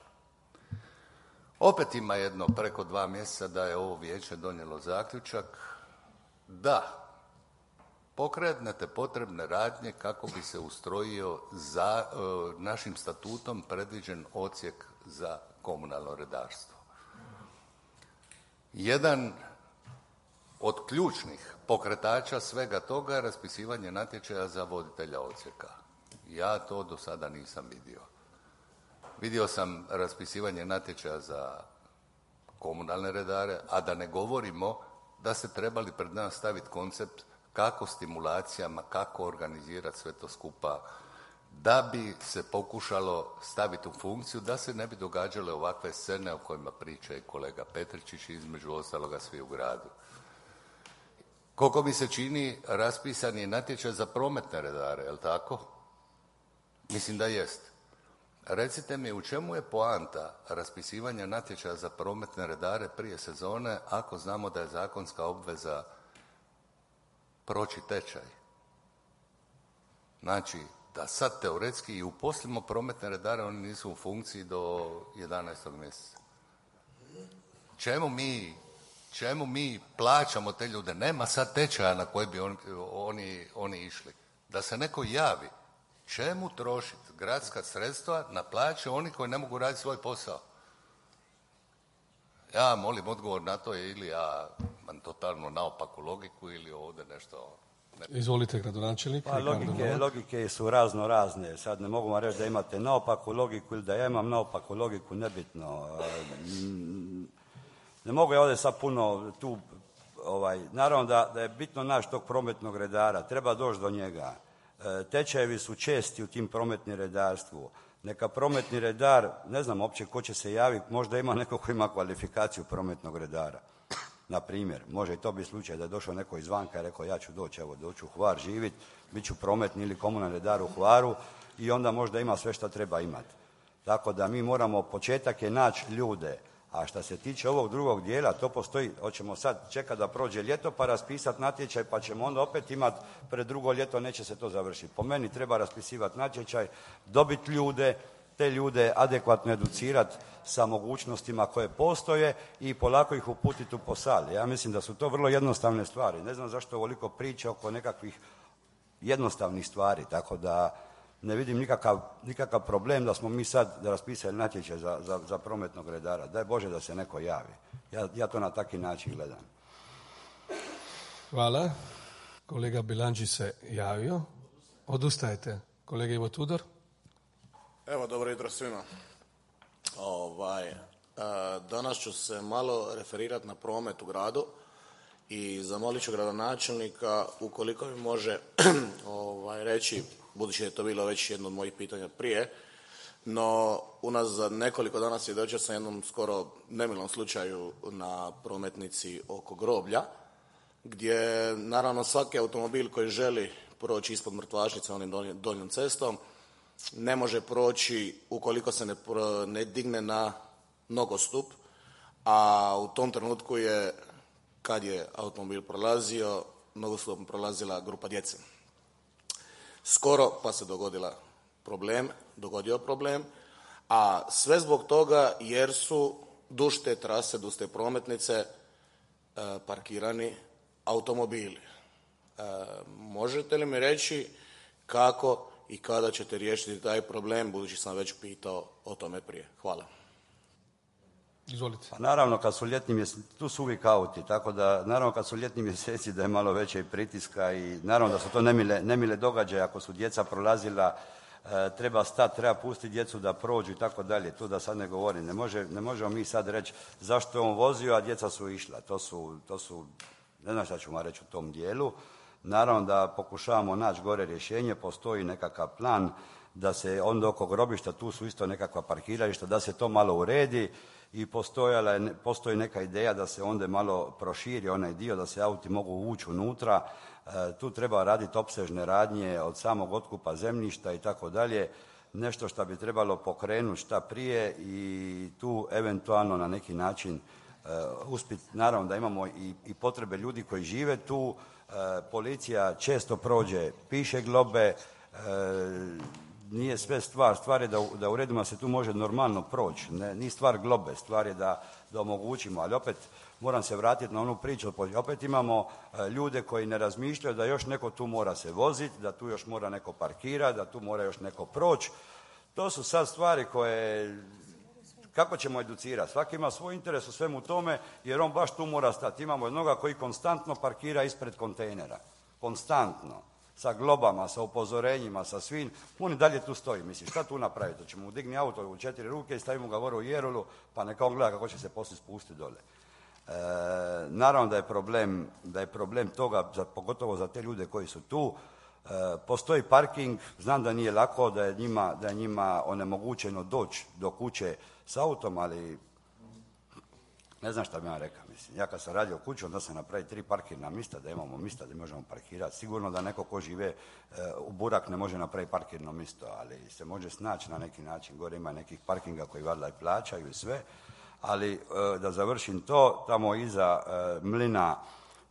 I: Opet ima jedno preko 2 mjeseca da je ovo vijeće donijelo zaključak da pokrenete potrebne radnje kako bi se ustrojio za našim statutom predviđen odsjek za komunalno redarstvo. Jedan od ključnih pokretača svega toga je raspisivanje natječaja za voditelja odsjeka. Ja to do sada nisam vidio. Vidio sam raspisivanje natječaja za komunalne redare, a da ne govorimo da ste trebali pred nas staviti koncept kako stimulacijama, kako organizirati sve to skupa, da bi se pokušalo staviti u funkciju, da se ne bi događale ovakve scene o kojima priča i kolega Petričić, između ostaloga svi u gradu. Koliko mi se čini, raspisan je natječaj za prometne redare, je li tako? Mislim da jest. Recite mi, u čemu je poanta raspisivanja natječaja za prometne redare prije sezone, ako znamo da je zakonska obveza proći tečaj? Znači, da sad teoretski i uposlimo prometne redare, oni nisu u funkciji do 11. mjeseca. Čemu mi plaćamo te ljude? Nema sad tečaja na koji bi oni išli. Da se neko javi. Čemu trošiti gradska sredstva na plaće oni koji ne mogu raditi svoj posao? Ja molim odgovor na to, ili ja imam totalno naopaku logiku ili ovdje nešto...
A: Izvolite, gradonačelnik.
C: Pa logike su razne. Sad ne mogu vam reći da imate naopaku logiku ili da ja imam naopaku logiku, nebitno. Ne mogu ja ovdje sad puno tu... Naravno da je bitno naći tog prometnog redara, treba doći do njega. Tečajevi su česti u tim prometnim redarstvu. Neka prometni redar, ne znam uopće ko će se javiti, možda ima neko ko ima kvalifikaciju prometnog redara. Na primjer, može i to biti slučaj da je došao neko izvanka i rekao ja ću doći u Hvar živjeti, bit ću prometni ili komunalni redar u Hvaru i onda možda ima sve što treba imati. Tako da mi moramo, početak je naći ljude, a što se tiče ovog drugog dijela, to postoji, hoćemo sad čekati da prođe ljeto pa raspisati natječaj, pa ćemo onda opet imati pred drugo ljeto, neće se to završiti. Po meni treba raspisivati natječaj, dobiti ljude, te ljude adekvatno educirati sa mogućnostima koje postoje i polako ih uputiti u posao. Ja mislim da su to vrlo jednostavne stvari. Ne znam zašto ovoliko priče oko nekakvih jednostavnih stvari, tako da ne vidim nikakav problem da smo mi sad raspisali natječaj za prometnog redara. Daj Bože da se neko javi. Ja to na taki način gledam.
A: Hvala. Kolega Bilandži se javio. Odustajete. Kolega Ivo Tudor.
J: Evo, dobro jutro svima. Danas ću se malo referirati na promet u gradu i zamolit ću gradonačelnika ukoliko mi može reći, budući da je to bilo već jedno od mojih pitanja prije, no unazad nekoliko dana svjedočio sam jednom skoro nemilom slučaju na prometnici oko groblja, gdje naravno svaki automobil koji želi proći ispod mrtvačnice onim donjom cestom ne može proći ukoliko se ne digne na nogostup, a u tom trenutku je, kad je automobil prolazio, nogostupom prolazila grupa djece. Skoro pa se dogodio problem, a sve zbog toga jer su duž te trase, duž te prometnice parkirani automobili. Možete li mi reći kako i kada ćete riješiti taj problem, budući sam već pitao o tome prije? Hvala.
A: Izvolite.
C: Pa naravno, kad su ljetni mjeseci, tu su uvijek auti, tako da naravno kad su ljetni mjeseci da je malo veće i pritiska i naravno da su to nemile događaje. Ako su djeca prolazila, treba stati, treba pustiti djecu da prođu i tako dalje. Tu da sad ne govorim. Ne možemo mi sad reći zašto je on vozio, a djeca su išla. To su, ne znam šta ću vam reći u tom dijelu. Naravno da pokušavamo naći gore rješenje, postoji nekakav plan da se onda oko grobišta, tu su isto nekakva parkirališta, da se to malo uredi i postoji neka ideja da se onda malo proširi onaj dio, da se auti mogu ući unutra. Tu treba raditi opsežne radnje od samog otkupa zemljišta i tako dalje. Nešto što bi trebalo pokrenuti šta prije i tu eventualno na neki način uspjeti. Naravno da imamo i potrebe ljudi koji žive tu. Policija često prođe, piše globe, nije sve stvar je da uredimo da se tu može normalno proći. Nije stvar globe, stvar je da omogućimo, ali opet moram se vratiti na onu priču. Opet imamo ljude koji ne razmišljaju da još neko tu mora se voziti, da tu još mora neko parkirati, da tu mora još neko proći. To su sad stvari koje, kako ćemo educirati? Svaki ima svoj interes u svemu tome jer on baš tu mora stati. Imamo jednoga koji konstantno parkira ispred kontejnera. Konstantno. Sa globama, sa upozorenjima, sa svim. On i dalje tu stoji. Misli, šta tu napraviti? Ćemo mu digni auto u 4 ruke i stavimo ga gore u jerulu, pa neka on gleda kako će se poslije spustiti dole. Naravno da je problem toga, pogotovo za te ljude koji su tu. Postoji parking, znam da nije lako, da je njima onemogućeno doći do kuće s autom, ali ne znam šta bi vam rekao. Mislim, ja kad sam radio kuću, onda sam napravio 3 parkirna mjesta, da imamo mjesta da možemo parkirati. Sigurno da neko ko žive u Burak ne može napraviti parkirno mjesto, ali se može snaći na neki način. Gore ima nekih parkinga koji valjda i plaćaju i sve. Ali da završim to, tamo iza mlina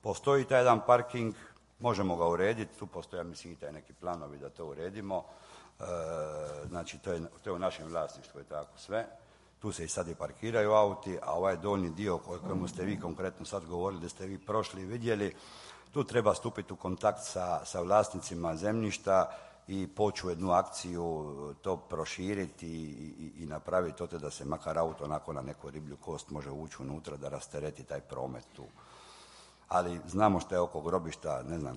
C: postoji taj jedan parking, možemo ga urediti, tu postoje, mislim, i taj neki planovi da to uredimo. Znači, to je u našem vlasništvu i tako sve. Tu se i sad i parkiraju auti, a ovaj donji dio o kojemu ste vi konkretno sad govorili, da ste vi prošli i vidjeli, tu treba stupiti u kontakt sa vlasnicima zemljišta i poći u jednu akciju, to proširiti i napraviti to da se makar auto onako na neku riblju kost može ući unutra da rastereti taj promet tu. Ali znamo što je oko grobišta, ne znam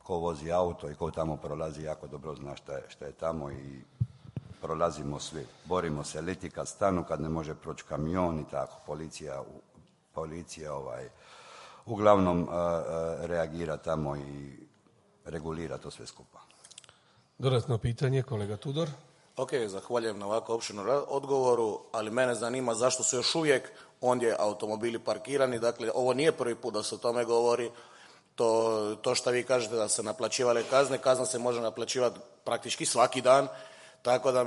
C: ko vozi auto i ko tamo prolazi, jako dobro zna šta je tamo i prolazimo svi. Borimo se liti kad stanu, kad ne može proći kamion i tako. Policija uglavnom reagira tamo i regulira to sve skupa.
A: Dodatno pitanje, kolega Tudor.
J: Ok, zahvaljujem na ovako opširnom odgovoru, ali mene zanima zašto su još uvijek ondje automobili parkirani. Dakle, ovo nije prvi put da se o tome govori. To što vi kažete da se naplaćivale kazna se može naplaćivati praktički svaki dan. Tako da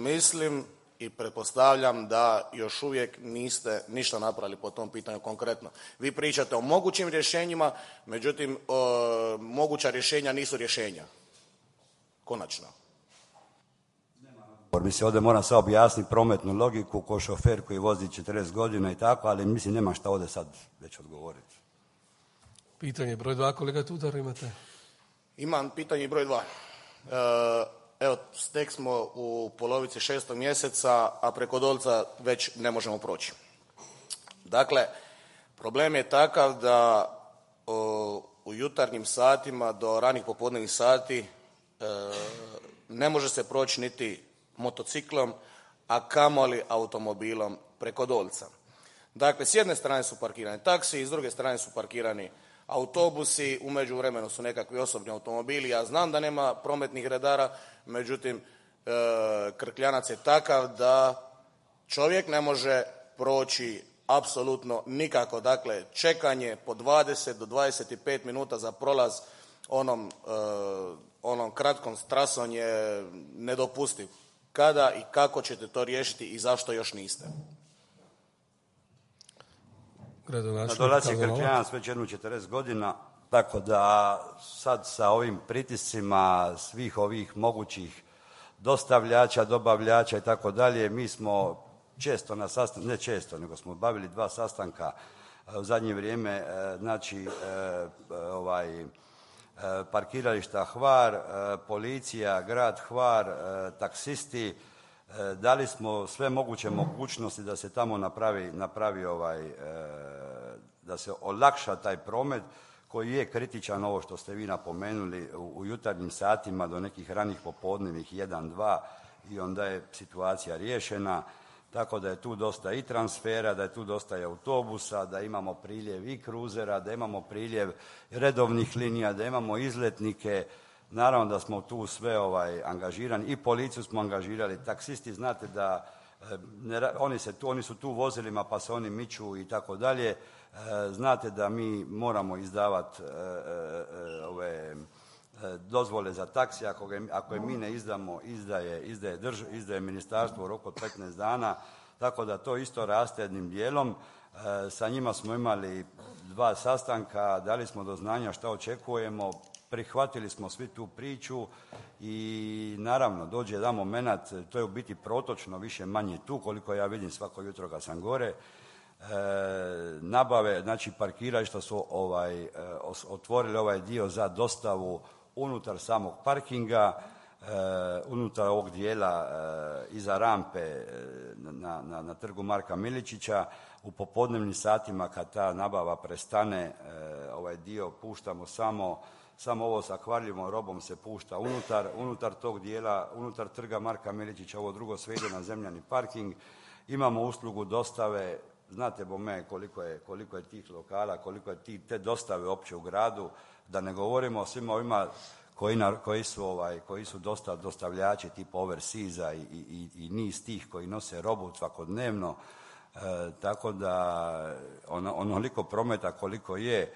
J: mislim i pretpostavljam da još uvijek niste ništa napravili po tom pitanju konkretno. Vi pričate o mogućim rješenjima, međutim, moguća rješenja nisu rješenja. Konačno.
C: Mislim, ovdje moram sad objasniti prometnu logiku ko šofer koji vozi 40 godina i tako, ali mislim nema šta ovdje sad već odgovoriti.
A: Pitanje broj 2, kolega Tudor, imate?
J: Imam pitanje broj 2. Evo, tek smo u polovici 6. mjeseca, a preko Dolca već ne možemo proći. Dakle, problem je takav da u jutarnjim satima do ranih popodnevnih sati ne može se proći niti motociklom, a kamoli automobilom preko Dolca. Dakle, s jedne strane su parkirani taksi, s druge strane su parkirani autobusi, u međuvremenu su nekakvi osobni automobili. Ja znam da nema prometnih redara, međutim, Krkljanac je takav da čovjek ne može proći apsolutno nikako. Dakle, čekanje po 20 do 25 minuta za prolaz onom kratkom trasom je nedopustiv. Kada i kako ćete to riješiti i zašto još niste?
C: Na Dolaciji Krkljanac već jednu 40 godina, tako da sad sa ovim pritiscima svih ovih mogućih dostavljača, dobavljača i tako dalje, mi smo često na sastanku, ne često, nego smo bavili 2 sastanka u zadnje vrijeme, znači parkirališta Hvar, policija, grad Hvar, taksisti, dali smo sve moguće mogućnosti da se tamo napravi da se olakša taj promet koji je kritičan, ovo što ste vi napomenuli, u jutarnjim satima do nekih ranih popodnevnih 1, 2 i onda je situacija riješena. Tako da je tu dosta i transfera, da je tu dosta i autobusa, da imamo priljev i kruzera, da imamo priljev redovnih linija, da imamo izletnike. Naravno da smo tu sve angažirani i policiju smo angažirali, taksisti znate da oni su tu vozilima pa se oni miču i tako dalje. Znate da mi moramo izdavati dozvole za taksi, ako je mi ne izdamo, izdaje ministarstvo u roku od 15 dana, tako da to isto raste jednim dijelom. Sa njima smo imali 2 sastanka, dali smo do znanja šta očekujemo, prihvatili smo svi tu priču i naravno dođe jedan moment, to je u biti protočno više manje tu, koliko ja vidim svako jutro kad sam gore, nabave, znači parkirališta su otvorili ovaj dio za dostavu unutar samog parkinga, unutar ovog dijela iza rampe na trgu Marka Miličića. U popodnevnim satima kad ta nabava prestane, ovaj dio puštamo samo ovo sa kvarljivom robom se pušta unutar tog dijela, unutar trga Marka Miličića, ovo drugo sve ide na zemljani parking. Imamo uslugu dostave, znate bome koliko je tih lokala, koliko je te dostave uopće u gradu, da ne govorimo o svima ovima koji su dostavljači tipa Overseas-a i niz tih koji nose robu svakodnevno, tako da onoliko prometa koliko je,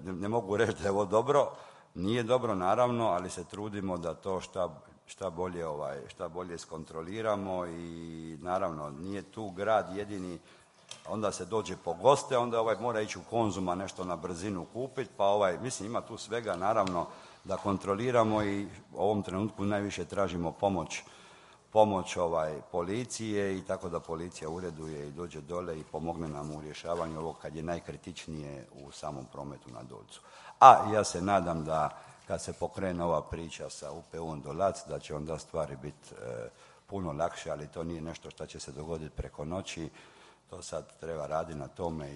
C: ne mogu reći da je ovo dobro, nije dobro naravno, ali se trudimo da to šta bolje iskontroliramo i naravno nije tu grad jedini, onda se dođe po goste, onda mora ići u Konzuma nešto na brzinu kupiti, pa mislim ima tu svega naravno da kontroliramo i u ovom trenutku najviše tražimo pomoć policije i tako da policija ureduje i dođe dole i pomogne nam u rješavanju ovog kad je najkritičnije u samom prometu na Dolcu. A ja se nadam da kad se pokrene ova priča sa UPU-om Dolac da će onda stvari biti puno lakše, ali to nije nešto što će se dogoditi preko noći. To sad treba raditi na tome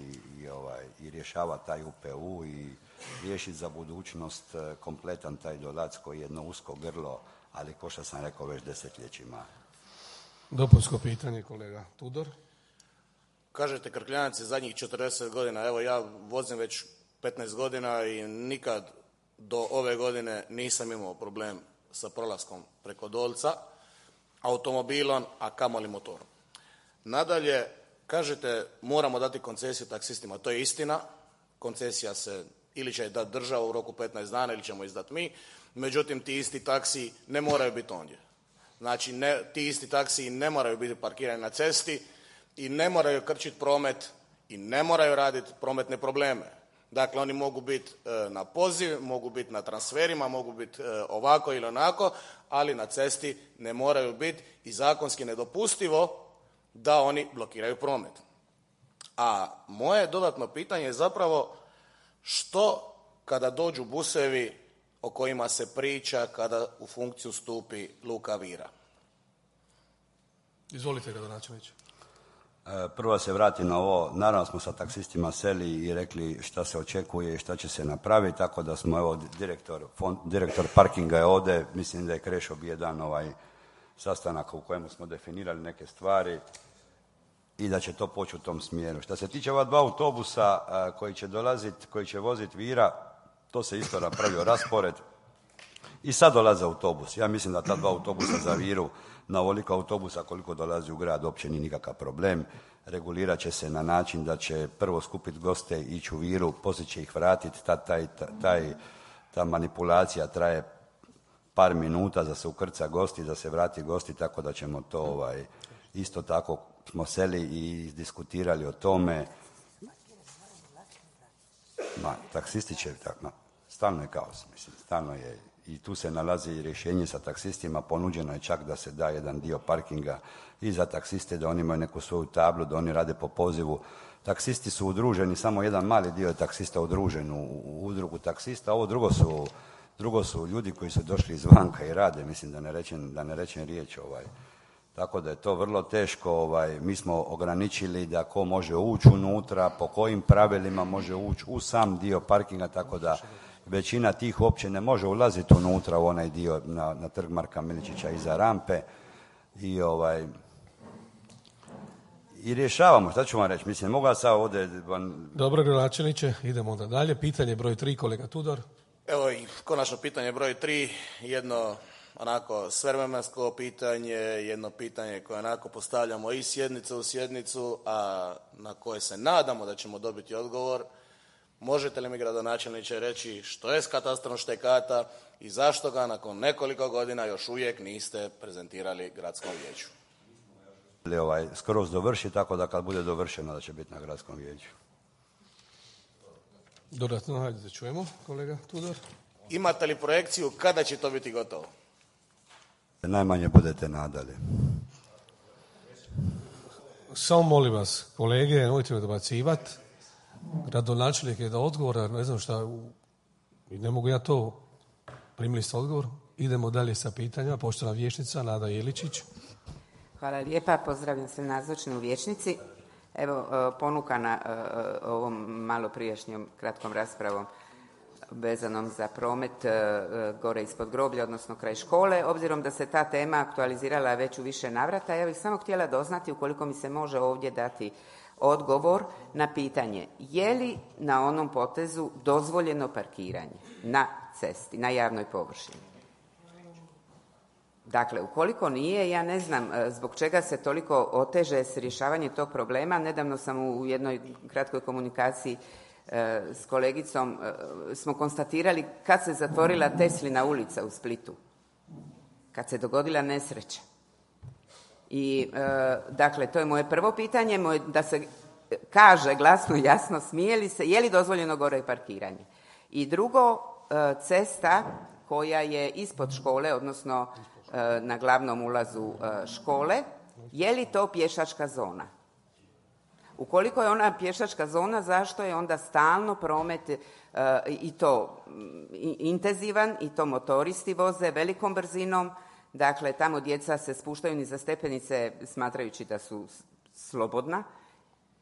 C: i rješavati taj UPU i riješiti za budućnost kompletan taj Dolac koji je jedno usko grlo, ali ko što sam rekao već desetljećima.
A: Dopunsko pitanje, kolega Tudor.
J: Kažete Krkljanac je zadnjih 40 godina, evo ja vozim već 15 godina i nikad do ove godine nisam imao problem sa prolaskom preko Dolca, automobilom, a kamoli motorom. Nadalje, kažete moramo dati koncesiju taksistima, to je istina, koncesija se ili će dati država u roku 15 dana ili ćemo izdati mi, međutim ti isti taksi ne moraju biti ondje. Znači ti isti taksi ne moraju biti parkirani na cesti i ne moraju krčiti promet i ne moraju raditi prometne probleme. Dakle, oni mogu biti na poziv, mogu biti na transferima, mogu biti ovako ili onako, ali na cesti ne moraju biti i zakonski nedopustivo da oni blokiraju promet. A moje dodatno pitanje je zapravo što kada dođu busevi o kojima se priča kada u funkciju stupi Luka Vira?
A: Izvolite, gradonačelniče.
C: Prvo se vrati na ovo, naravno smo sa taksistima seli i rekli šta se očekuje i šta će se napraviti, tako da smo, evo, direktor parkinga je ovdje, mislim da je Krešo bio jedan sastanak u kojemu smo definirali neke stvari i da će to poći u tom smjeru. Što se tiče ova 2 autobusa koji će voziti Vira, to se isto napravio raspored i sad dolaze autobus. Ja mislim da ta 2 autobusa za Viru, na ovoliko autobusa koliko dolazi u grad, uopće nije nikakav problem. Regulirat će se na način da će prvo skupiti goste, ići u Viru, poslije će ih vratiti. Ta manipulacija traje par minuta da se ukrca gosti, da se vrati gosti, tako da ćemo to isto tako smo seli i diskutirali o tome. Taksisti će, stalno je kaos, mislim, stalno je. I tu se nalazi rješenje sa taksistima, ponuđeno je čak da se da jedan dio parkinga i za taksiste, da oni imaju neku svoju tablu, da oni rade po pozivu. Taksisti su udruženi, samo jedan mali dio je taksista udružen u udrugu taksista, ovo drugo su ljudi koji su došli izvanka i rade, mislim da ne rečem riječ. Tako da je to vrlo teško, mi smo ograničili da ko može ući unutra, po kojim pravilima može ući u sam dio parkinga, tako da većina tih uopće ne može ulaziti unutra u onaj dio na trg Marka Miličića iza rampe i rješavamo, šta ću vam reći, mislim, mogu ja sad ovdje...
A: Dobro, gradonačelniče, idemo onda dalje. Pitanje broj 3, kolega Tudor.
J: Evo i konačno pitanje broj 3, jedno onako svevremeno pitanje, jedno pitanje koje onako postavljamo i sjednicu u sjednicu, a na koje se nadamo da ćemo dobiti odgovor. Možete li mi, gradonačelniče, reći što je s katastrom Štekata i zašto ga nakon nekoliko godina još uvijek niste prezentirali gradskom vijeću?
C: Skroz dovrši, tako da kad bude dovršeno da će biti na gradskom vijeću.
A: Dodatno, hajde da čujemo, kolega Tudor.
J: Imate li projekciju kada će to biti gotovo?
C: Najmanje budete nadali.
A: Samo molim vas, kolege, nemojte me dobacivati. Gradonačelnik je da odgovora, ne znam šta, ne mogu ja to, primili ste odgovor. Idemo dalje sa pitanjima. Poštovana vijećnica Nada Jeličić.
K: Hvala lijepa, pozdravljam sve nazočne u vijećnici. Evo, ponukana ovom malo prijašnjom kratkom raspravom vezanom za promet gore ispod groblja, odnosno kraj škole, obzirom da se ta tema aktualizirala već u više navrata, ja bih samo htjela doznati, ukoliko mi se može ovdje dati odgovor na pitanje je li na onom potezu dozvoljeno parkiranje na cesti, na javnoj površini. Dakle, ukoliko nije, ja ne znam zbog čega se toliko oteže s rješavanjem tog problema. Nedavno sam u jednoj kratkoj komunikaciji s kolegicom smo konstatirali kad se zatvorila Teslina ulica u Splitu, kad se dogodila nesreća. I dakle, to je moje prvo pitanje, da se kaže glasno i jasno, smije li se, je li dozvoljeno gore parkiranje. I drugo, cesta koja je ispod škole, odnosno na glavnom ulazu škole, je li to pješačka zona? Ukoliko je ona pješačka zona, zašto je onda stalno promet i to intenzivan, i to motoristi voze velikom brzinom, dakle tamo djeca se spuštaju niza stepenice smatrajući da su slobodna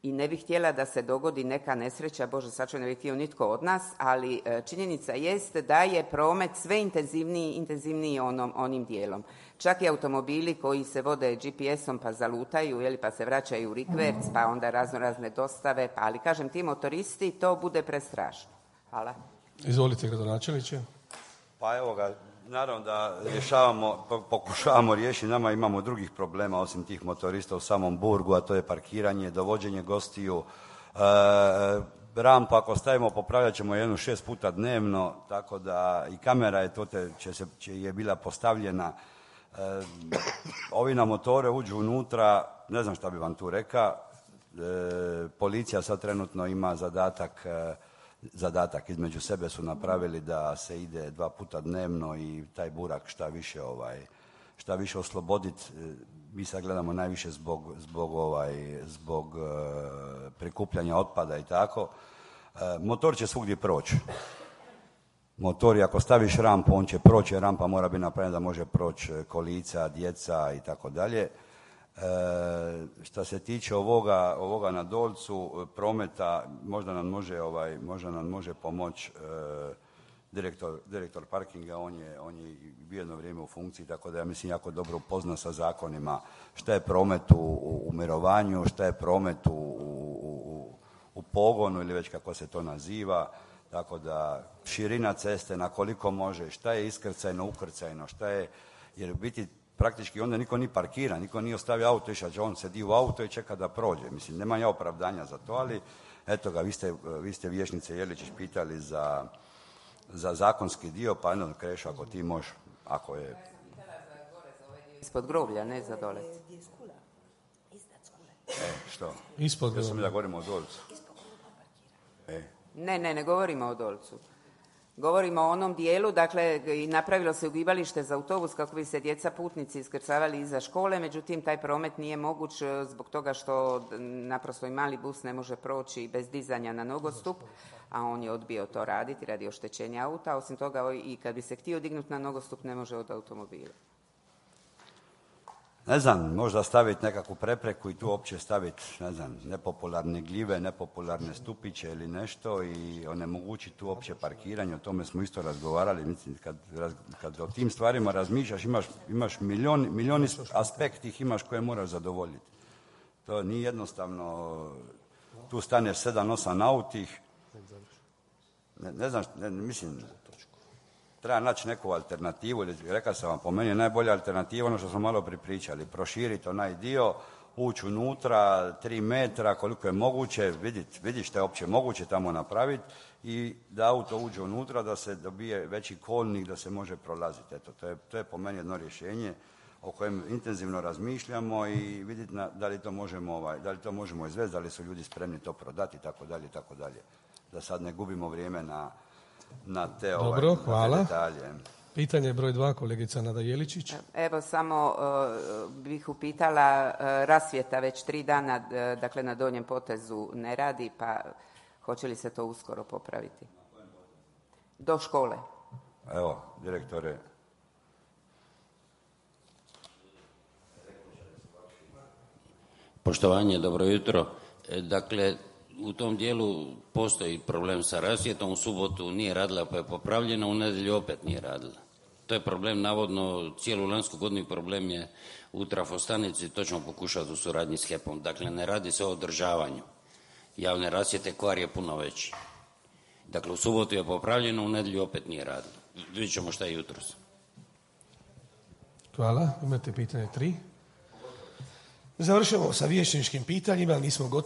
K: i ne bih htjela da se dogodi neka nesreća, Bože sačuvaj, ne bih htio nitko od nas, ali činjenica jest da je promet sve intenzivniji onim dijelom. Čak i automobili koji se vode GPS-om pa zalutaju, pa se vraćaju u rikverc, pa onda razne dostave, ali kažem ti motoristi, to bude prestrašno. Hvala.
A: Izvolite, gradonačelniče.
C: Pa evo ga, naravno da pokušavamo riješiti, nama imamo drugih problema osim tih motorista u samom Burgu, a to je parkiranje, dovođenje gostiju. Rampu ako stavimo popravljat ćemo jednu 6 puta dnevno, tako da i kamera je bila postavljena. Ovi na motore uđu unutra, ne znam šta bi vam tu rekao. Policija sad trenutno ima zadatak između sebe su napravili da se ide 2 puta dnevno i taj burak šta više osloboditi. Mi sad gledamo najviše zbog prikupljanja otpada i tako. Motor će svugdje proći. Motori, ako staviš rampu, on će proći, rampa mora biti napravljena da može proći kolica, djeca i tako dalje. Što se tiče ovoga na Dolcu, prometa, možda nam može pomoći direktor parkinga, on je bio jedno vrijeme u funkciji, tako da ja mislim jako dobro upoznan sa zakonima šta je promet u mirovanju, šta je promet u pogonu ili već kako se to naziva, tako da širina ceste na koliko može, šta je iskrcajno, ukrcajno, šta je, jer u biti praktički onda niko ni parkira, niko nije ostavio auto, išao on sedi u auto i čeka da prođe. Mislim, nema ja opravdanja za to, ali eto ga, vi ste vijećnice Jeličić pitali za zakonski dio, pa jedno Krešo, ako ti možeš, ako je...
K: Ja sam pitala za gore, za ovaj dio ispod groblja, ne za dole.
C: Što?
A: Ispod groblja.
C: Ja sam da govorimo o Dolcu.
K: Ne govorimo o Dolcu. Govorimo o onom dijelu, dakle, i napravilo se ugibalište za autobus kako bi se djeca putnici iskrcavali iza škole, međutim, taj promet nije moguć zbog toga što naprosto i mali bus ne može proći bez dizanja na nogostup, a on je odbio to raditi radi oštećenja auta. Osim toga, i kad bi se htio dignuti na nogostup, ne može od automobila.
C: Ne znam, možda staviti nekakvu prepreku i tu uopće staviti, ne znam, nepopularne gljive, nepopularne stupiće ili nešto i onemogućiti tu uopće parkiranje. O tome smo isto razgovarali. Mislim, kad o tim stvarima razmišljaš, imaš milijun aspekt ih imaš koje moraš zadovoljiti. To nije jednostavno, tu staneš 7-8 autih, ne znam, mislim... Treba naći neku alternativu, ili rekao sam vam, po meni je najbolja alternativa ono što smo malo pripričali, proširiti onaj dio, ući unutra 3 metra koliko je moguće, vidjeti što je uopće moguće tamo napraviti i da auto uđe unutra, da se dobije veći kolnik, da se može prolaziti. Eto, to je po meni jedno rješenje o kojem intenzivno razmišljamo i vidjeti da li to možemo izvesti, da li su ljudi spremni to prodati itd. Da sad ne gubimo vrijeme na te
A: Dobro, hvala.
C: detalje.
A: Pitanje broj 2, kolegica Nada Jeličić.
K: Evo, samo bih upitala, rasvjeta već 3 dana, dakle na donjem potezu ne radi, pa hoće li se to uskoro popraviti? Do škole.
C: Evo, direktore.
L: Poštovanje, dobro jutro. Dakle, u tom dijelu postoji problem sa rasvjetom, u subotu nije radila pa je popravljena, u nedjelju opet nije radila. To je problem, navodno, cijelu lansku godinu problem je u trafostanici, to ćemo pokušati u suradnji s HEP-om. Dakle, ne radi se o održavanju javne rasvjete, kvar je puno veći. Dakle, u subotu je popravljeno, u nedjelju opet nije radila. Vidjet ćemo šta je jutros.
A: Hvala, imate pitanje 3. Završamo sa vijećničkim pitanjima, nismo gotovi.